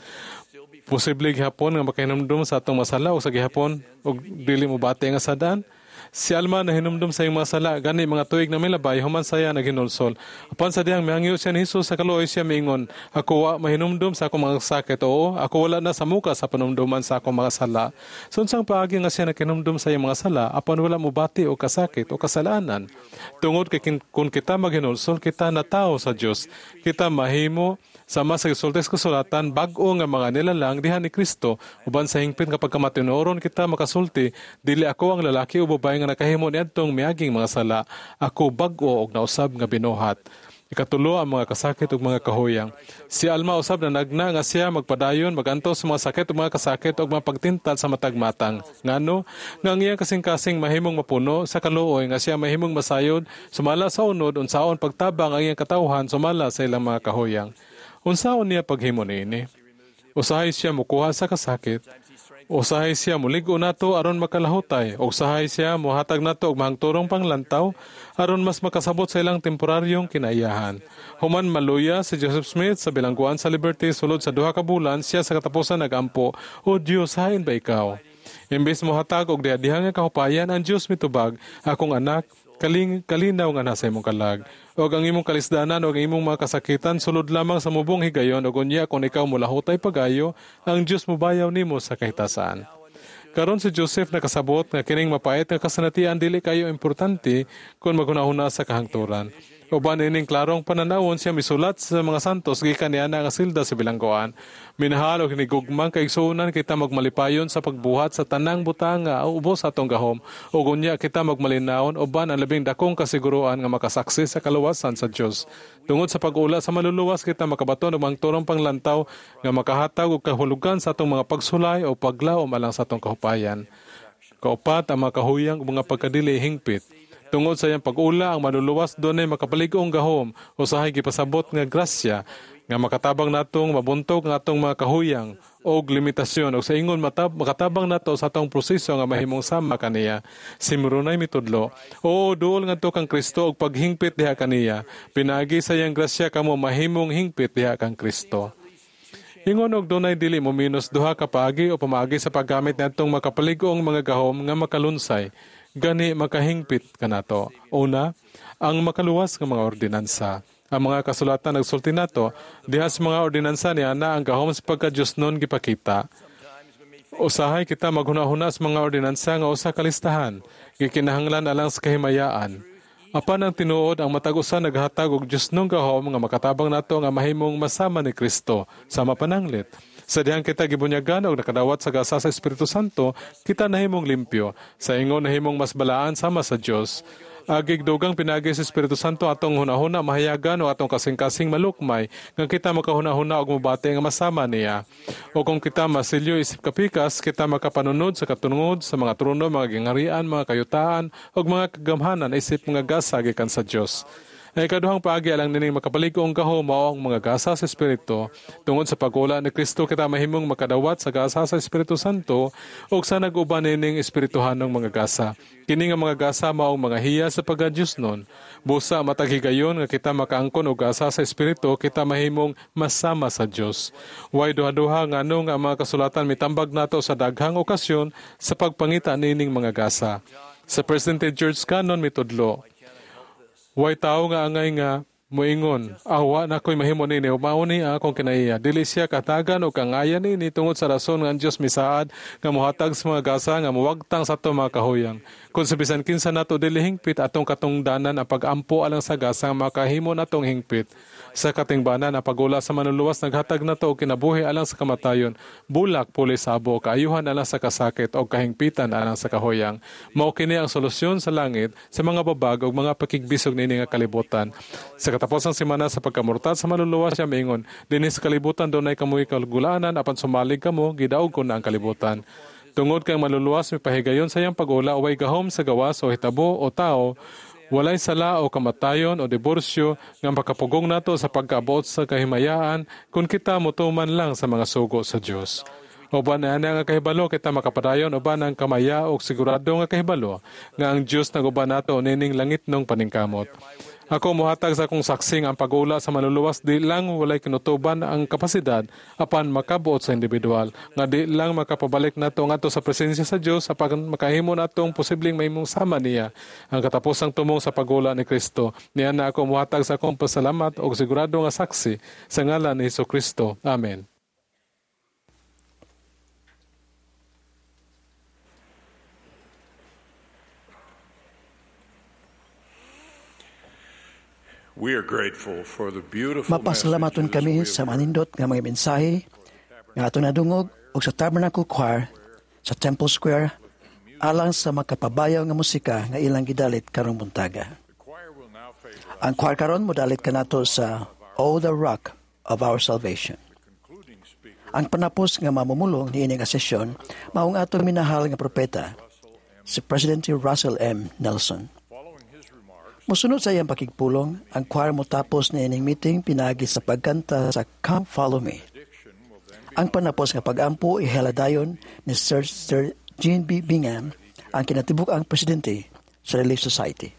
Posible gihapon nga makahinumdum sa atong masala o sa gihapon og dili mobati nga sadaan. Si Alma nahinumdum sa iyang mga sala, gani mga tuig na milabay, human saya naghinulsol. Apan sa diyang mihangyo siya ni Jesus sa kaluoy siya miingon, ako wa mahinumdum sa akong mga sakit, oo, ako wala na sa muka sa panumduman sa akong mga sala. So unsang paagi nga siya nakinumdum sa iyang mga sala, apan wala mobati o kasakit o kasalanan. Tungod kay kung kita maghinulsol, kita natao sa Dios, kita mahimo sama sa gisulti sa kasulatan, bag-o nga mga nilalang diha ni Kristo, uban sa hingpit nga pagkamatinuoron kita makasulti, dili ako ang lalaki o babae nga nakahimo niadtong miaging mga sala, ako bag-o og nausab nga binuhat. Ikatulo ang mga kasakit ug mga kahuyang. Si Alma usab na nagna nga siya magpadayon maganto sa mga sakit ug mga kasakit ug mga pagtintal sa matag matang. Ngano nga ang iyang kasing-kasing mahimong mapuno sa kaluoy nga siya mahimong masayod sumala sa unod unsaon pagtabang ang iyang katawhan sumala sa ilang mga kahuyang. Unsaon niya paghimo niini? Usahay siya mukuha sa kasakit. Usahay siya mulig-o nato aron makalahutay. Usahay siya muhatag nato og mahangturong panglantaw aron mas makasabot sa ilang temporaryong kinaiyahan. Human maluya si Joseph Smith sa bilangguan sa Liberty sulod sa duha ka bulan, siya sa katapusan nagampo, "O Dios, hain ba ikaw?" Imbes mohatag og diha-diha nga kahupayan, ang Dios mitubag, "Akong anak, kaling kalinaw nga nasa imong kalag. Og ang imong kalisdanan og ang imong mga kasakitan sulod lamang sa mubong higayon og unya kung ikaw molahutay pagayo, ang Dios mobayaw nimo sa kahitasan." Karon si Joseph nakasabot nga kining mapait nga kasanatian dili kayo importante kung maghunahuna sa kahangturan. Uban ining klarong pananawon siya misulat sa mga santos gikan niya nga silda sa bilangguan. Minahal og hinigugmang kaigsuonan, kita magmalipayon sa pagbuhat sa tanang butang nga ubos sa atong gahom ug unya kita magmalinawon uban ang labing dakong kasiguruan nga makasaksi sa kaluwasan sa Dios. Tungod sa pag-ula sa maluluwas kita makabaton og mangturong panglantaw nga makahatag og kahulugan sa atong mga pagsulay o paglaom alang sa atong kahupayan. Kaupat, ang mga kahuyang ug mga pagkadili hingpit. Tungod sa iyang pag-ula, ang maluluwas dunay makapalig-ong gahom, usahay gipasabot nga grasya nga makatabang natong mabuntog ang atong mga kahuyang og limitasyon og sa ingon matab makatabang nato sa atong proseso nga mahimong sama kaniya. Si Moroni mitudlo, "Oo, duol ngadto kang Kristo og paghingpit diha kaniya. Pinaagi sa iyang grasya kamo mahimong hingpit diha kang Kristo." Ingon og dunay dili mo minus duha ka paagi o pamaagi sa paggamit niadtong makapalig-ong mga gahom nga makalunsay, gani makahingpit kanato. Una, ang makaluwas nga mga ordinansa. Ang mga kasulatan nagsulti nato, diha sa mga ordinansa niya na ang gahom sa pagka-Diyos nun gipakita. Usahay kita maghuna-huna sa mga ordinansa nga usa ka listahan, gikinahanglan alang sa kahimayaan. Apan ang tinuod, ang matag usa naghatag og Diyos nung gahom nga makatabang nato nga mahimong masama ni Kristo sama pananglit. Sa dihang kita gibunyagan og nakadawat sa gasa sa Espiritu Santo, kita nahimong limpyo. Sa ingon nahimong mas balaan sama sa Dios. Agig dugang pinagi sa Espiritu Santo atong hunahuna mahayagan o atong kasing-kasing malukmay nga kita makahunahuna og mobati nga masama niya. O kung kita masilyo isip kapikas, kita makapanunod sa katungod sa mga trono, mga gingharian, mga kayutaan ug mga kagamhanan isip mga gasa gikan sa Dios. Ang ikaduhang paagi alang nining makapalig-ong gahom mao ang mga gasa sa Espiritu. Tungod sa pag-ula ni Kristo kita mahimong makadawat sa gasa sa Espiritu Santo ug sa nag-uban nining espirituhanong mga gasa. Kini nga mga gasa mao ang mga hiya sa pagka-Diyosnon. Busa matag higayon nga kita makaangkon og gasa sa Espiritu, kita mahimong masama sa Dios. Way duha-duha ngano nga ang mga kasulatan mitambag nato sa daghang okasyon sa pagpangita nining mga gasa. Sa Presidente George Cannon mitudlo, way tao nga angay nga moingon, awa na ko'y mahimo nini, mao ni akong kinaiya. Dili siya katagan o kangayan nini tungod sa rason nga ang Dios misaad nga mohatag sa mga gasa nga mowagtang sa atong mga kahuyang. Kung sa bisan kinsa nato dili hingpit, atong katungdanan ang pag-ampo alang sa gasa nga makahimo natong hingpit. Sa katingbanan, ang pagula sa manluluwas naghatag nato og kinabuhi alang sa kamatayon, bulak puli sa abo, kaayuhan alang sa kasakit o kahingpitan alang sa kahuyang. Mao kini ang solusyon sa langit sa mga babag ug mga pakigbisog niini nga kalibutan. Sa katapusan semana sa pagkamurtad sa manluluwas siya miingon, dinhi sa kalibutan dunay kamoy kalgulaanan apan sumalig kamo, gidaog ko na ang kalibutan. Tungod kay ang manluluwas mipahigayon sa iyang pag-ula, way gahom sa gawas o hitabo o tao, walay sala o kamatayon o diborsyo nga makapugong nato sa pagkaabot sa kahimayaan kung kita motuman lang sa mga sugo sa Dios. Uban na nga kahibalo kita makapadayon uban ang kamaya o sigurado nga kahibalo nga ang Dios naguban nato nining langitnong paningkamot. Ako mohatag sa akong saksi nga ang pag-ula sa manluluwas di lang walay kinutuban ang kapasidad apan makabuot sa individual nga di lang makapabalik nato ngadto sa presensya sa Dios apan makahimo natong posibleng mahimong sama niya ang katapusang tumong sa pag-ula ni Kristo. Niya na ako mohatag sa akong pasalamat og sigurado nga saksi sa ngalan ni Hesukristo. Amen. We are grateful for the beautiful Mapasalamaton kami sa manindot nga mga mensahe nga ato nadungog og sa Tabernacle Choir sa Temple Square alang sa makapabayaw nga musika nga ilang gidalit karong buntaga. Ang choir karon modalit kanato sa O the Rock of Our Salvation. Ang panapos nga mamumulong niini nga sesyon maong atong minahal nga propeta si Presidente Russell M. Nelson. Mosunod sa iyang pakigpulong, ang choir motapos niining meeting pinaagi sa pagkanta sa Come Follow Me. Ang panapos nga pag-ampo ihaladayon ni Sir, Sir Jean B. Bingham, ang kinatibuk-ang presidente sa Relief Society.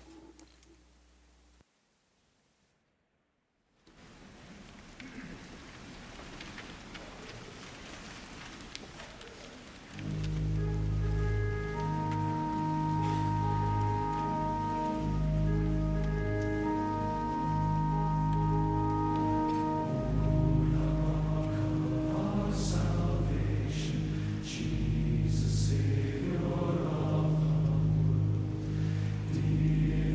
Jesus, Savior of the world, dear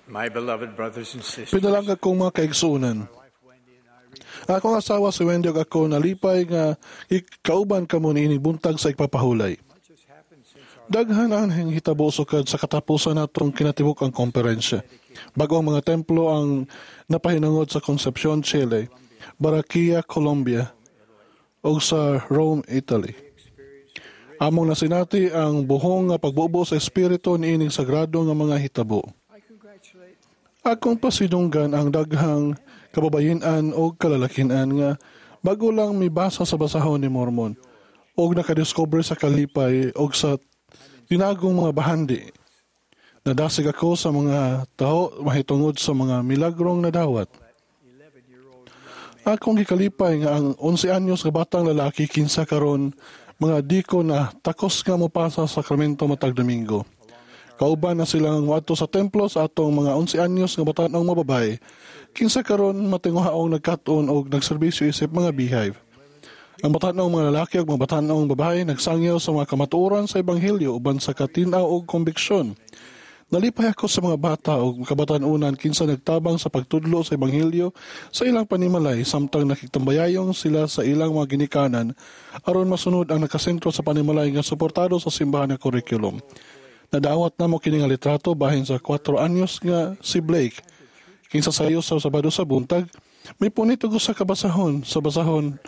My beloved brothers and sisters, Pinalangga kong mga kaigsuonan. Akong asawa si Wendy ug ako nalipay nga ikauban kamo niining buntag sa igpapahulay. Daghan ang hitabo sukad sa katapusan natong kinatibuk-ang komperensya. Bago ang mga templo ang napahinungod sa Concepcion, Chile, Barranquilla, Colombia, ug sa Rome, Italy. Among nasinati ang buhong nga pagbubo sa espiritu niining sagrado nga mga hitabo. Akong pasidunggan ang daghang kababayen-an o kalalakian nga bago lang mibasa sa basahon ni Mormon og nakadiscover sa kalipay og sa tinagong mga bahandi. Nadasig ako sa mga taho mahitungod sa mga milagrong nadawat. Akong gikalipay nga ang onse anyos nga batang lalaki kinsa karon mga diko na takos nga mopasa sa sakramento matag Domingo. Kauban na silang moadto sa templo sa atong mga onse anyos nga batan-ong mababae, kinsa karon matinguhaong nagkat-on og nagserbisyo isip mga beehive. Ang batan-ong mga lalaki ug mga batan-ong babae nagsangyaw sa mga kamatuoran sa ebanghelyo uban sa katin-aw ug kombiksyon. Nalipay ako sa mga bata ug kabatan-unan kinsa nagtabang sa pagtudlo sa ebanghelyo sa ilang panimalay samtang nakigtambayayong sila sa ilang mga ginikanan aron masunod ang nakasentro sa panimalay nga suportado sa simbahan nga curriculum. Nadawat namo kini nga litrato bahin sa kwatro anyos nga si Blake kinsa sayo sa Sabado sa buntag mipunit og usa ka basahon sa basahon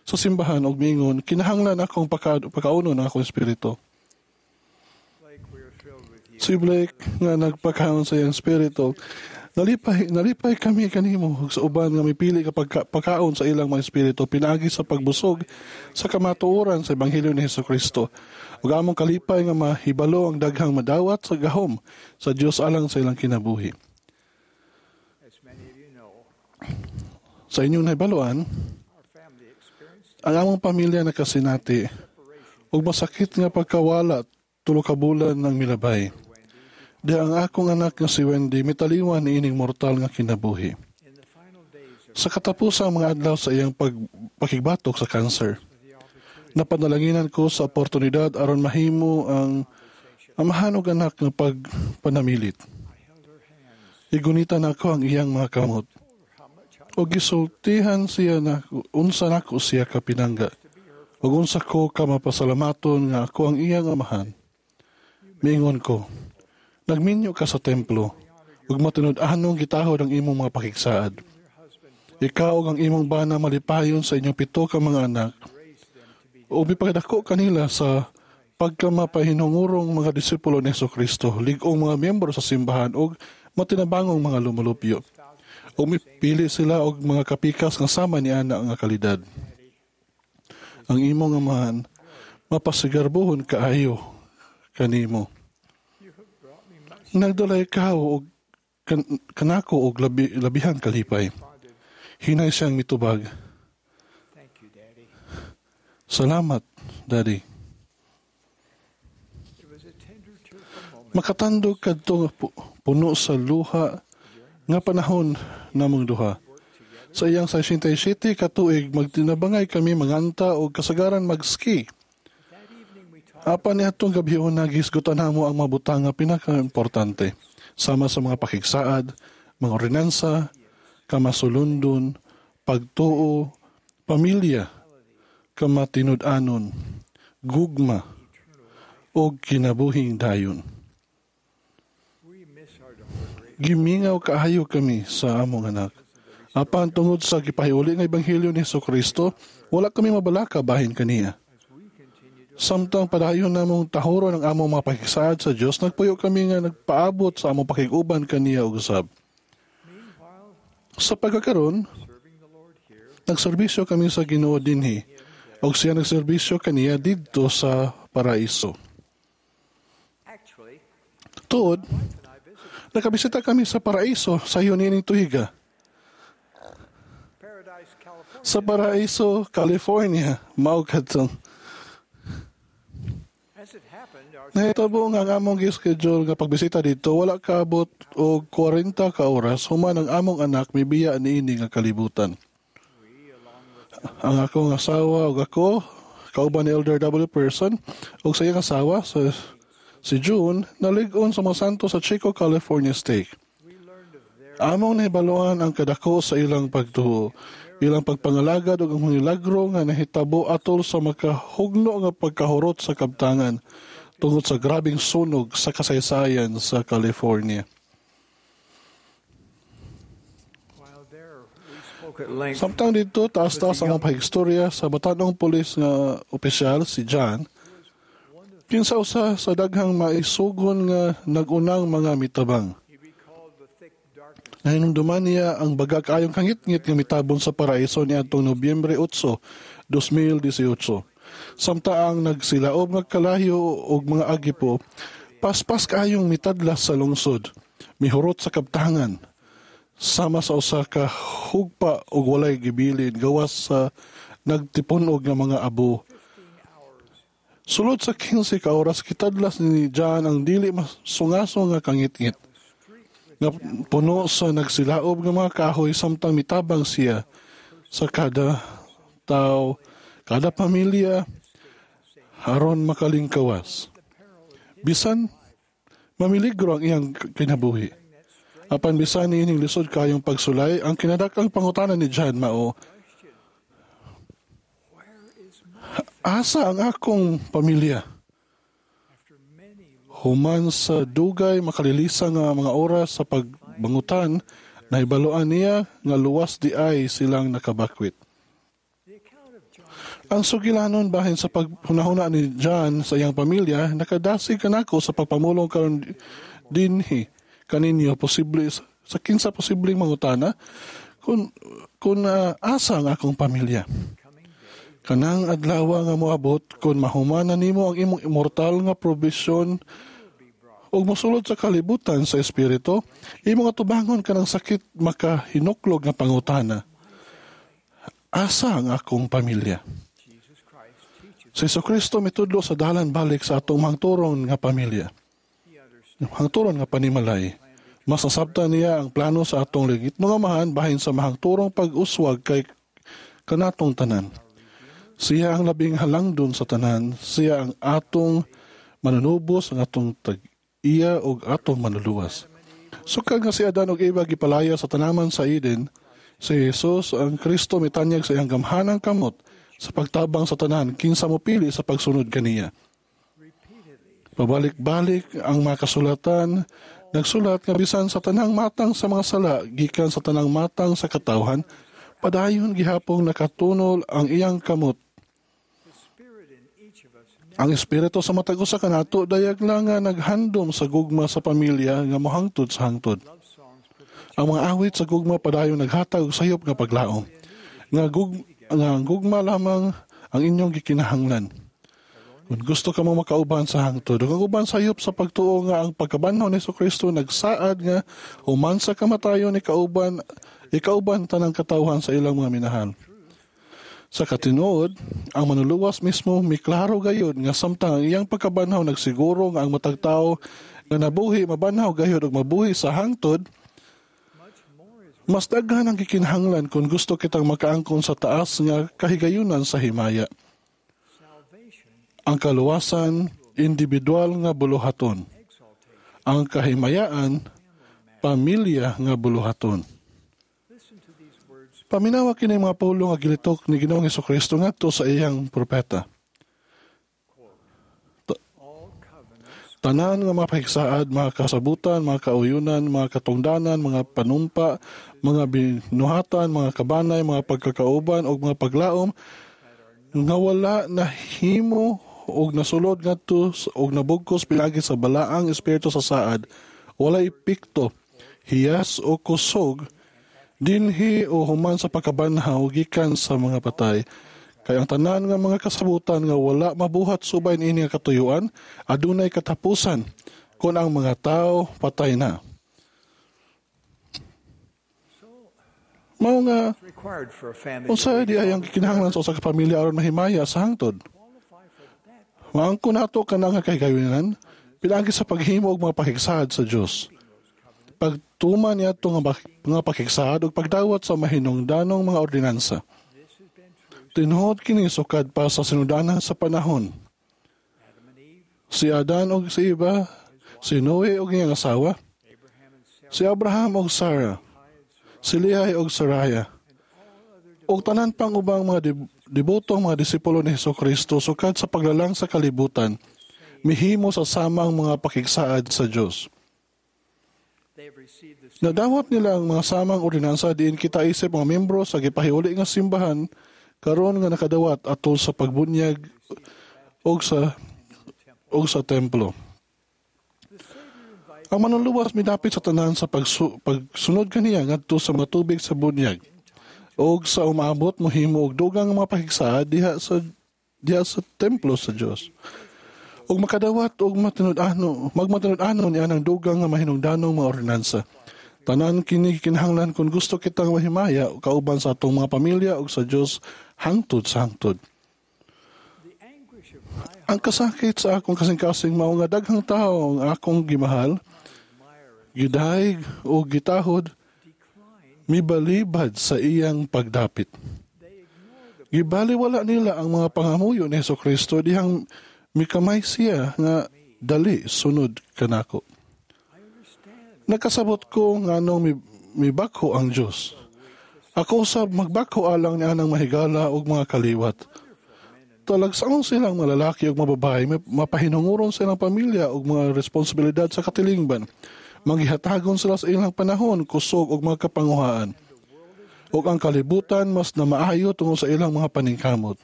sa simbahan og miingon, "Kinahanglan akong paka, pakaunon ang akong espiritu." Si Blake nga nagpakaon sa iyang espiritu, nalipay, nalipay kami kanimo ug sa uban nga mipili ka pagka, pakaon sa ilang mga espiritu pinaagi sa pagbusog sa kamatuoran sa ebanghelyo ni Hesukristo. Ug among kalipay nga mahibalo ang daghang madawat sa gahom sa Dios alang sa ilang kinabuhi. As many of you know, Sa inyong nahibaluan, our family experienced ang among pamilya nakasinati ug masakit nga pagkawala tulo ka bulan ng milabay. Di ang akong anak nga si Wendy mitaliwan niining mortal nga kinabuhi. In the final days of Sa katapusang mga adlaw sa iyang pagpakigbatok sa cancer, napanalanginan ko sa oportunidad aron mahimo ang amahan og anak nga pagpanamilit. Igunitan ako ang iyang mga kamot. O gisultihan siya na unsa nako siya kapinangga. Ug unsa ko ka mapasalamaton nga ako ang iyang amahan. Miingon ko, "Nagminyo ka sa templo, ug matinud-anong gitahod ang imong mga pakigsaad. Ikaw ug ang imong bana malipayon sa inyong pito ka mga anak, ug mipakadako kanila sa pagkamapahinungurong mga disipulo ni Kristo, lig-ong mga miyembro sa simbahan ug matinabangong mga lumulupyo. Ug mipili sila og mga kapikas nga sama ni ana nga kalidad. Ang imong amahan mapasigarbohon kaayo kanimo. Nagdala ikaw og kan, kanako og labi, labihang kalipay." Hinay siyang mitubag, Thank you, Daddy. "Salamat, Daddy." It was a tender, tearful moment Makatandog kadto nga pu- puno sa luha nga panahon namong duha. Sa iyang sesenta y siyete ka tuig, magtinabangay kami manganta og kasagaran mag-ski. That evening we talked Apan niadtong gabiuna, gihisgutan namo ang mga butang nga pinaka-importante sama sa mga pakigsaad, mga ordinansa, kamasulundon, pagtuo, pamilya, kamatinud-anon, gugma, ug kinabuhing dayon. We miss our daughter greatly. Gimingaw kaayo kami sa among anak. Apan tungod sa gipahiuli nga ebanghelyo ni Kristo, wala kami mabalaka bahin kaniya. Samtang padayon namong tahuron ang among mga pakigsaad sa Dios, nagpuyo kami nga nagpaabot sa among pakig-uban kaniya og usab. Sa pagkakaron, nagserbisyo kami sa Ginoo dinhi ug siya nagserbisyo kaniya didto sa paraiso. Actually, Tuod, nakabisita kami sa paraiso sa niining tuiga. Paradise, California. Sa paraiso, California, mao kadtong. As it happened, our Nahitabo nga ang among gi-schedule nga pagbisita didto wala kaabot og kwarenta ka oras human ang among anak mibiya niini nga kalibutan. Ang akong asawa ug ako kauban ni Elder W. Person ug sa iyang asawa sa si June nalig-on sa mga santo sa Chico, California Stake. Among nahibaluan ang kadako sa ilang pagtuo, ilang pagpangalagad ug ang milagro nga nahitabo atol sa makahugno nga pagkahurot sa kabtangan tungod sa grabeng sunog sa kasaysayan sa California. Samtang dito, taas-taas ang pahigstorya sa batanong pulis nga opisyal si John, kinsa usa sa daghang maisugon nga nagunang mga mitabang. Nahinumduman niya ang baga kaayong kangitngit nga mitabon sa paraiso niadtong Nobyembre eight, twenty eighteen. Samta ang nagsilaob nga kalayo og mga agipo, paspas kaayong mitadlas sa lungsod, mihurot sa kabtangan, sama sa usa ka hugpa og walay gibilin gawas sa nagtipunog nga mga abo. Sulod sa fifteen ka oras kitadlas ni John ang dili masungaso nga kangitngit nga puno sa nagsilaob nga mga kahoy samtang mitabang siya sa kada tao, kada pamilya aron makalingkawas. Bisan mamiligro ang iyang kinabuhi. Apan bisan niining lisod kayong pagsulay, ang kinadakang pangutana ni John mao, asa ang akong pamilya? Human sa dugay makalilisa nga mga oras sa pagbangutan, nahibaluan niya nga luwas di ay silang nakabakwit. Ang sugilanon bahin sa paghunahuna ni John sa iyang pamilya, nakadasig kanako sa pagpamulong karon dinhi kaninyo posible sa kinsa posibleng mangutana kung kung uh, asa ang akong pamilya. Kanang adlaw nga moabot kung mahuman na nimo ang imong immortal nga probisyon ug mosulod sa kalibutan sa espiritu, imong atubangon kanang sakit makahinuklog nga pangutana. Asa ang akong pamilya? Si Jesucristo mitudlo sa dalan balik sa atong hangturon nga pamilya. Hangturon nga panimalay. Mas nasabtan niya ang plano sa atong ligit nga amahan bahin sa mahangturong pag-uswag kay kanatong tanan. Siya ang labing halangdon sa tanan. Siya ang atong manunubos, ang atong tag-iya o atong manuluwas. Sukad nga si Adan og Eva gipalaya sa tanaman sa Eden, si Jesus ang Kristo mitanyag sa iyang gamhanang kamot sa pagtabang sa tanan, kinsa mo pili sa pagsunod kaniya. Pabalik-balik ang mga kasulatan, nagsulat nga bisan sa tanang matang sa mga sala, gikan sa tanang matang sa katawhan, padayon gihapong nakatunol ang iyang kamot. Ang espiritu sa matag usa kanato dayag lang nga naghandom sa gugma sa pamilya nga mohangtod sa hangtod. Ang mga awit sa gugma padayon naghatag og sayop nga paglaom. Nga gug nga ang gugma lamang ang inyong gikinahanglan. Kung gusto ka mo makauban sa hangtod, ug ang uban sayop sa pagtuo nga ang pagkabanhaw ni Jesucristo nagsaad nga human sa kamatayon ni kauban ikauban tanang katawhan sa ilang mga minahal. Sa katinuod, ang manuluwas mismo miklaro gayud nga samtang ang iyang pagkabanhaw nagsiguro nga ang matag tawo nga nabuhi mabanhaw gayud ug mabuhi sa hangtod, mas daghan ang gikinahanglan kung gusto kitang makaangkon sa taas nga kahigayunan sa himaya. Ang kaluwasan, individual nga buluhaton. Ang kahimayaan, pamilya nga buluhaton. Paminawa kini mga pulong nga gilitok ni Ginoong Hesukristo ngadto sa iyang propeta. Tanan nga mga pahigsaad, mga kasabutan, mga kauyunan, mga katungdanan, mga panumpa, mga binuhatan, mga kabanay, mga pagkakauban o mga paglaom nga wala nahimo og nasulod ngadto og nabugkos pinaagi sa balaang espiritu sa saad, walay epekto, hiyas o kusog dinhi o human sa pagkabanhaw gikan sa mga patay. Kay ang tanan nga mga kasabutan nga wala mabuhat subay niini nga katuyuan, adunay katapusan kon ang mga tao patay na. Mao nga unsa di ay ang kinahanglan sa usa ka pamilya aron mahimaya sa hangtod? Maangkon nato kanang kahigayunan pinaagi sa paghimo og mga pakigsaad sa Dios. Pagtuman niya itong mga pakigsaad ug pagdawat sa mahinungdanong mga ordinansa. Tinuod kini sukad pa sa sinudanan sa panahon. Si Adan og si Eva, si Noe og iyang asawa, si Abraham og Sarah, Si Lehi og Saraya. Og tanan pang ubang mga debotong mga disipulo ni Hesukristo sukad sa paglalang sa kalibutan, mihimo sa samang mga pakigsaad sa Dios. Nadawat nila ang mga samang ordinansa diin kita isip mga membro sa gipahiuli nga simbahan karon nga nakadawat atol sa pagbunyag og sa og sa templo. Ang manluluwas midapit sa tanan sa pagsu, pagsunod kaniya ngadto sa mga tubig sa bunyag og sa umaabot mohimo og dugang mga pakigsaad diha sa diha sa templo sa Dios. Og makadawat og matinud-ano, magmatinud-ano niya ang dugang nga mahinungdanong mga ordinansa. Tanan kini kinahanglan kung gusto kitang mahimaya kauban sa atong mga pamilya ug sa Dios hangtod sa hangtod. Ang kasakit sa akong kasing-kasing mao nga daghang tawo ang akong gimahal, gidayeg o gitahod, mibalibad sa iyang pagdapit. Gibaliwala nila ang mga pangamuyo ni Hesukristo dihang mikamay siya nga dali sunod kanako. Nakasabot ko nganong mibakho ang Dios. Ako usab magbakho alang niya ng mahigala ug mga kaliwat. Talagsaon silang mga lalaki ug mga babae, mapahinunguron sa ilang pamilya ug mga responsibilidad sa katilingban. Manggihatagon sila sa ilang panahon, kusog ug mga kapanguhaan. Ug ang kalibutan mas namaayo tungod sa ilang mga paningkamot.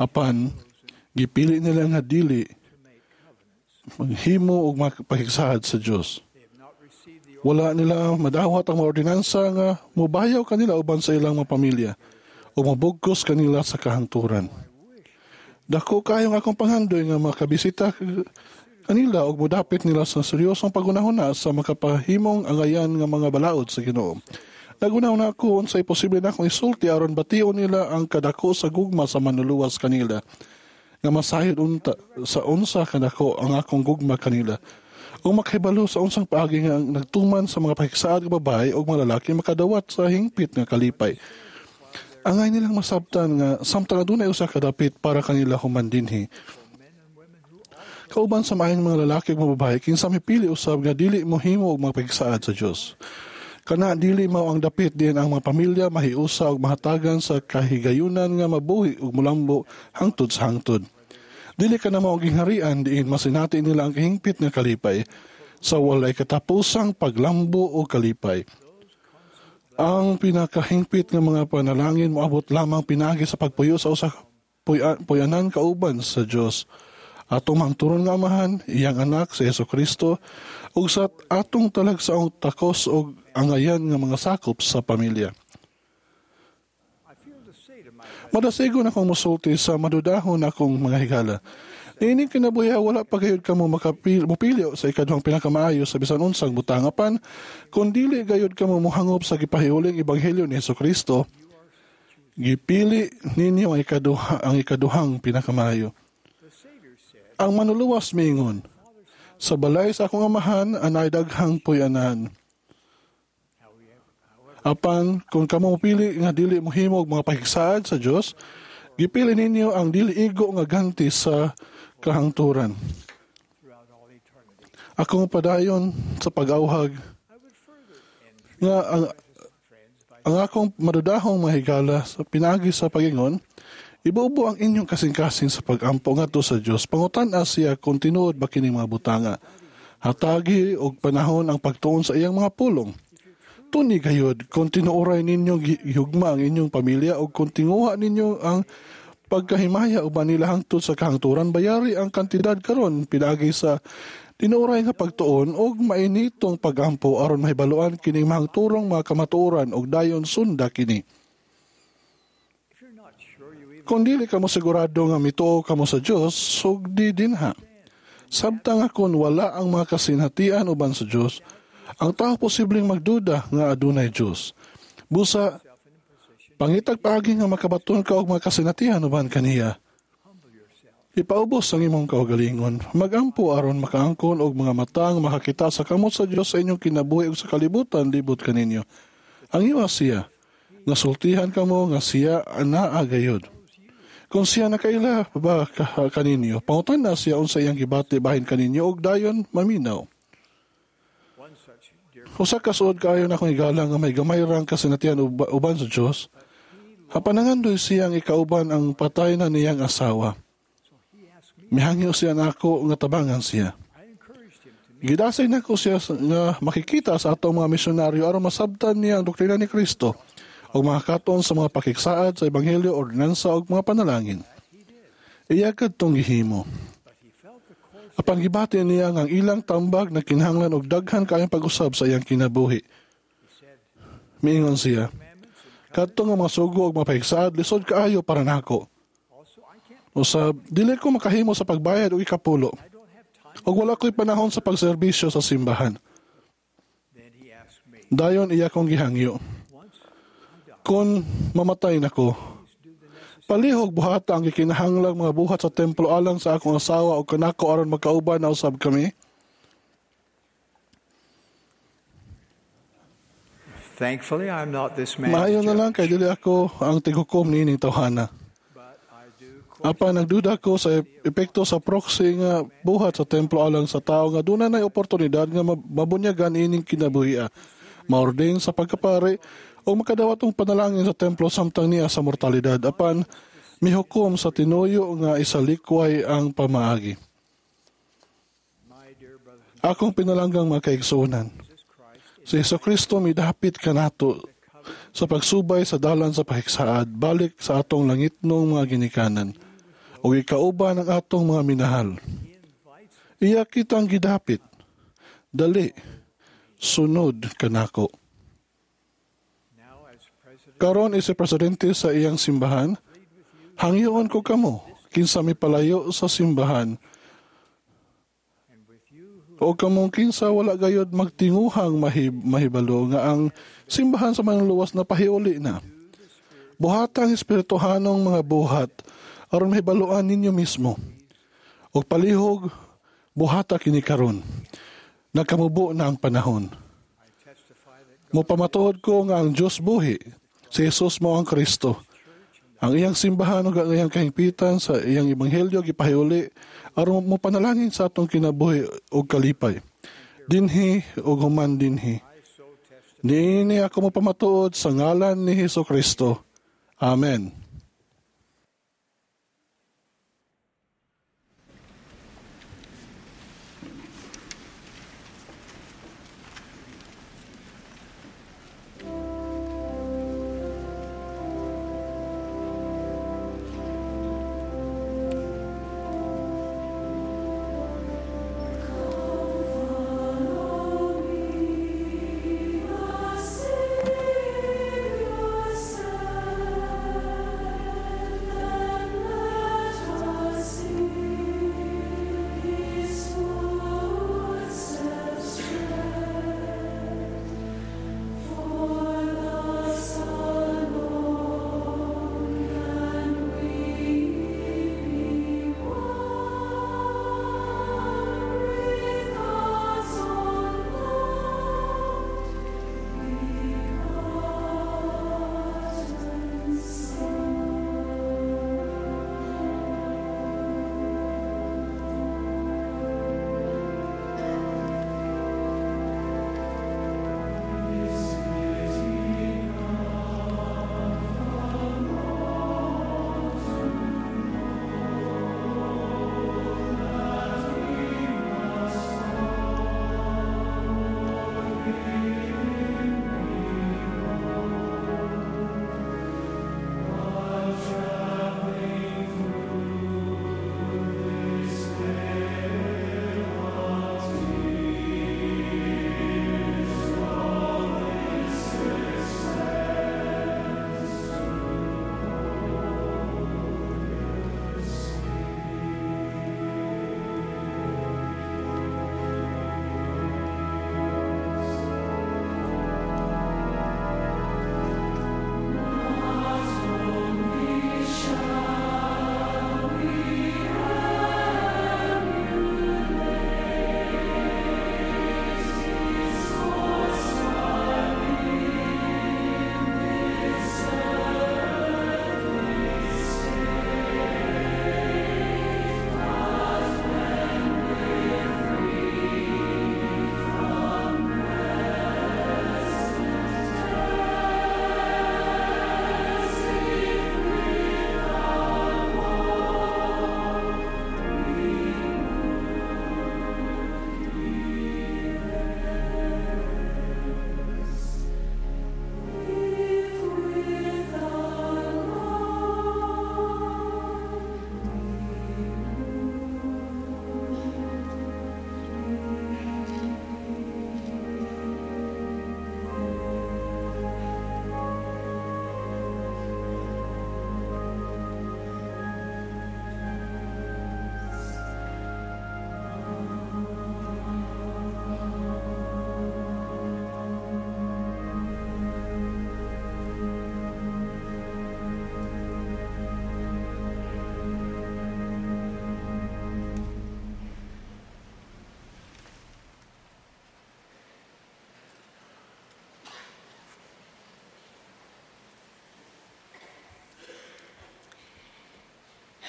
Apan, gipili nila nga dili maghimo og mapakigsaad sa Dios. Wala nila madawat ang mga ordinansa nga mubayaw kanila uban sa ilang mga pamilya o mabugkos kanila sa kahangturan. Dako kayong akong panghandoy nga makabisita kanila og modapit nila sa seryosong pagunahuna sa makapahimong angayan nga mga balaod sa Ginoo. Nagunahuna ako unsay posible na akong isulti aron bation nila ang kadako sa gugma sa manluluwas kanila nga masayod unta sa unsa kadako ang akong gugma kanila. Ug makahibalo sa unsang paagi nga ang nagtuman sa mga pakigsaad nga babae ug mga lalaki makadawat sa hingpit nga kalipay. Angay nilang masabtan nga samtang adunay usa ka dapit para kanila human dinhi. Kauban sa maayong mga lalaki ug mga babae kinsa mipili usab nga dili mohimo og mga pakigsaad sa Dios. Kana dili mao ang dapit diin ang mga pamilya mahiusa ug mahatagan sa kahigayunan nga mabuhi ug mulambo hangtod sa hangtod. Dili ka na mao ang gingharian diin masinati nila ang kahingpit nga kalipay sa walay katapusang paglambo o kalipay. Ang pinakahingpit nga mga panalangin moabot lamang pinaagi sa pagpuyo sa usa puyanan kauban sa Dios. Atong mangturon nga Amahan, iyang anak si Hesukristo, ug sa atong talagsaong takos og angayan nga mga sakop sa pamilya. Madasigon akong musulti sa madudahon akong mga higala. Niining kinabuhi wala pa gayud kamo makapili mopili sa ikaduhang pinakamaayo sa bisan unsang butang apan kun dili gayud kamo mohangop sa gipahiuling ebanghelyo ni Hesukristo, gipili ninyo ang ikaduha ang ikaduhang pinakamaayo. Ang manluluwas miingon, sa balay sa akong amahan anay daghang puy-anan. Apan kung kamo mopili nga dili mohimo og mga pakigsaad sa Dios, gipili ninyo ang dili igo nga ganti sa kahangturan. Akong padayon sa pag-awhag nga ang, ang akong madudahong mahigala sa pinaagi sa pagingon, ibubo ang inyong kasing-kasing sa pag-ampo ngadto sa Dios. Pangutan-a siya kung tinuod ba kining mga butanga. Hatagi og panahon ang pagtuon sa iyang mga pulong. Tuni gayud kung tinuoray ninyo gihugma ang inyong pamilya o kung tinguha ninyo ang pagkahimaya uban nila hangtod sa kahangturan, bayari ang kantidad karon pinaagi sa tinuoray nga pagtuon og mainitong pagampo aron mahibaluan kining mahangturong mga kamatuoran og dayon sunda kini. Kung dili kamo sigurado nga mituo kamo sa Dios, sugdi dinha. Samtang akon wala ang mga kasinatian uban sa Dios, ang tao posibleng magduda nga adunay Dios. Busa, pangitag paagi nga makabaton ka og mga kasinatian uban kaniya. Ipaubos ang imong kaugalingon. Magampo aron makaangkon og mga mata nga makakita sa kamot sa Dios sa inyong kinabuhi ug sa kalibutan libot kaninyo. Ang iwas siya, nga sultihan kamo nga siya anaa gayud. Kung siya nakaila ba kaninyo, pangutan na siya unsa iyang gibati bahin kaninyo og dayon maminaw. Usa ka suod kaayo na akong higala nga may gamay rang kasinatian uba, uban sa Dios. Apan nangandoy siyang ikauban ang patay na niyang asawa. Mihangyo siya nako nga tabangan siya. Gidasay nako siya nga makikita sa atong mga misyonaryo aron masabtan niya ang doktrina ni Kristo ug makakaton sa mga pakigsaad sa ebanghelyo, ordinansa ug mga panalangin. Iya kadtong gihimo. Apan gibati niya nga ang ilang tambag na kinahanglan og daghan kaayong pag-usab sa iyang kinabuhi. Miingon siya, kadto nga mga sugo ug mga pakigsaad lisod kaayo para nako. Usab, dili ko makahimo sa pagbayad og ikapulo. Og wala ko'y panahon sa pagserbisyo sa simbahan. Dayon iya kong gihangyo. Kung mamatay nako, palihog buhata ang gikinahanglang mga buhat sa templo alang sa akong asawa o kanako aron magkauban na usab kami. Thankfully, I'm not this man's Maayo na judge. lang kay dili ako ang tighukom niining tawhana. Apan nagduda ko sa epekto sa proxy nga buhat sa templo alang sa tao nga duna nay oportunidad nga mabunyagan ining kinabuhia, maordin sa pagkapari o makadawat og panalangin sa templo samtang niya sa mortalidad. Apan mihukom sa tinuyo nga isalikway ang pamaagi. Akong pinalanggang mga kaigsuonan, si Jesucristo midapit kanato sa pagsubay sa dalan sa pakigsaad, balik sa atong langitnong mga ginikanan, ug ikauban ang atong mga minahal. Iya kitang gidapit, dali, sunod kanako. Karon isa presidente sa iyang simbahan, hangyoon ko kamo, kinsa mipalayo sa simbahan, o kamong kinsa wala gayod magtinguhang mahib, mahibalo nga ang simbahan sa manluluwas na pahiuli na. Buhatang espirituhanong mga buhat aron mahibaluan ninyo mismo. Og palihog buhata kini karon. Nagkamubo na ang panahon. Mopamatuod ko nga ang Dios buhi, si Jesus mao ang Kristo. Ang iyang simbahan ug ang iyang kahingpitan sa iyang ebanghelyo gipahiuli aron mopanalangin sa atong kinabuhi ug kalipay. Dinhi ug human dinhi. Niini ako mopamatuod sa ngalan ni Hesus Kristo. Amen. Follow me, the Savior said.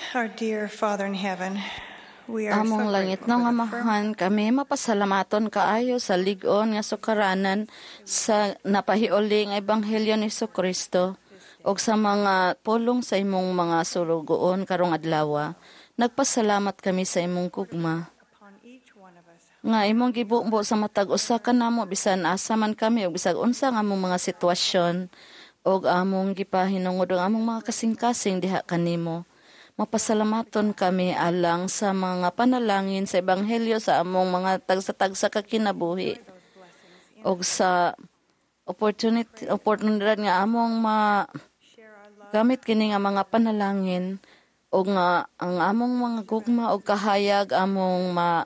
Our dear Father in heaven, we are Among so langit grateful nga for the firm amahan, kami mapasalamaton kaayo sa lig-on nga sukaranan sa napahiuli nga ebanghelyo ni Kristo ug sa mga pulong sa imong mga sulugoon karong adlaw. Nagpasalamat kami sa imong gugma nga imong gibubo sa matag usa kanamo bisan asa man kami ug bisag unsa nga among mga sitwasyon ug among gipahinungod ang among mga kasing-kasing diha kanimo. Mapasalamaton kami alang sa mga panalangin sa ebanghelyo sa among mga tagsa-tagsa ka kinabuhi ug sa opportunity oportunidad nga among ma gamit kini nga mga panalangin ug nga ang among mga gugma ug kahayag among ma,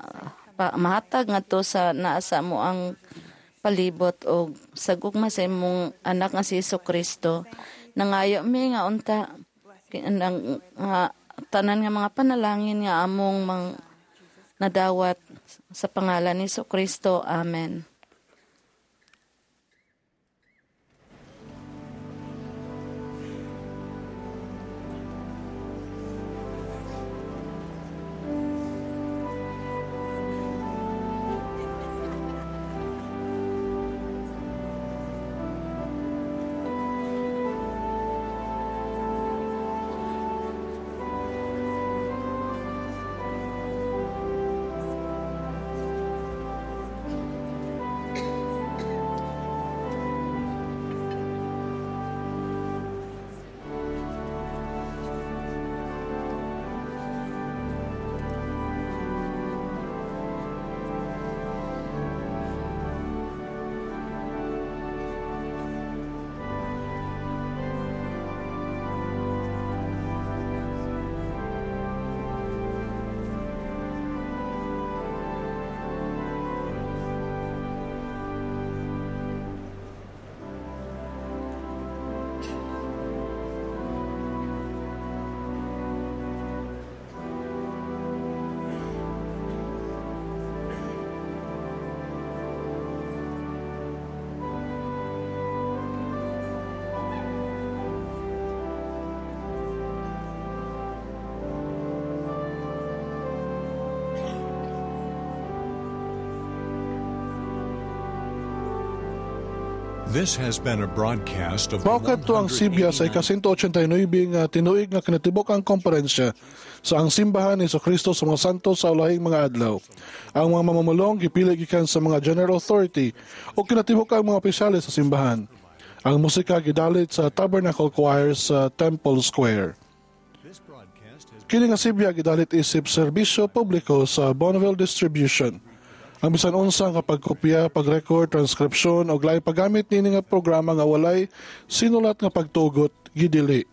pa, mahatag ngadto sa naa sa amo ang palibot og sa gugma sa imong anak nga si Jesu Kristo. Nangayo mi nga unta ang nga tanan nga mga panalangin nga among mang nadawat sa pangalan ni Kristo. Amen. This has been a broadcast of the Mao kadto ang sibya sa ika-one hundred eighty-nine nga tinuig nga kinatibuk-ang komperensya sa Ang Simbahan ni Kristo sa mga Santos sa Ulahing mga Adlaw. Ang mga mamumulong gipili gikan sa mga General Authority o kinatibuk-ang mga opisyales sa simbahan. Ang musika gidalit sa Tabernacle Choir sa Temple Square. Kini nga sibya gidalit isip serbisyo publiko sa Bonneville Distribution. Ang bisan unsa nga pagkopya, pag-record, transkripsyon o laing paggamit niini nga programa nga walay sinulat nga pagtugot gidili.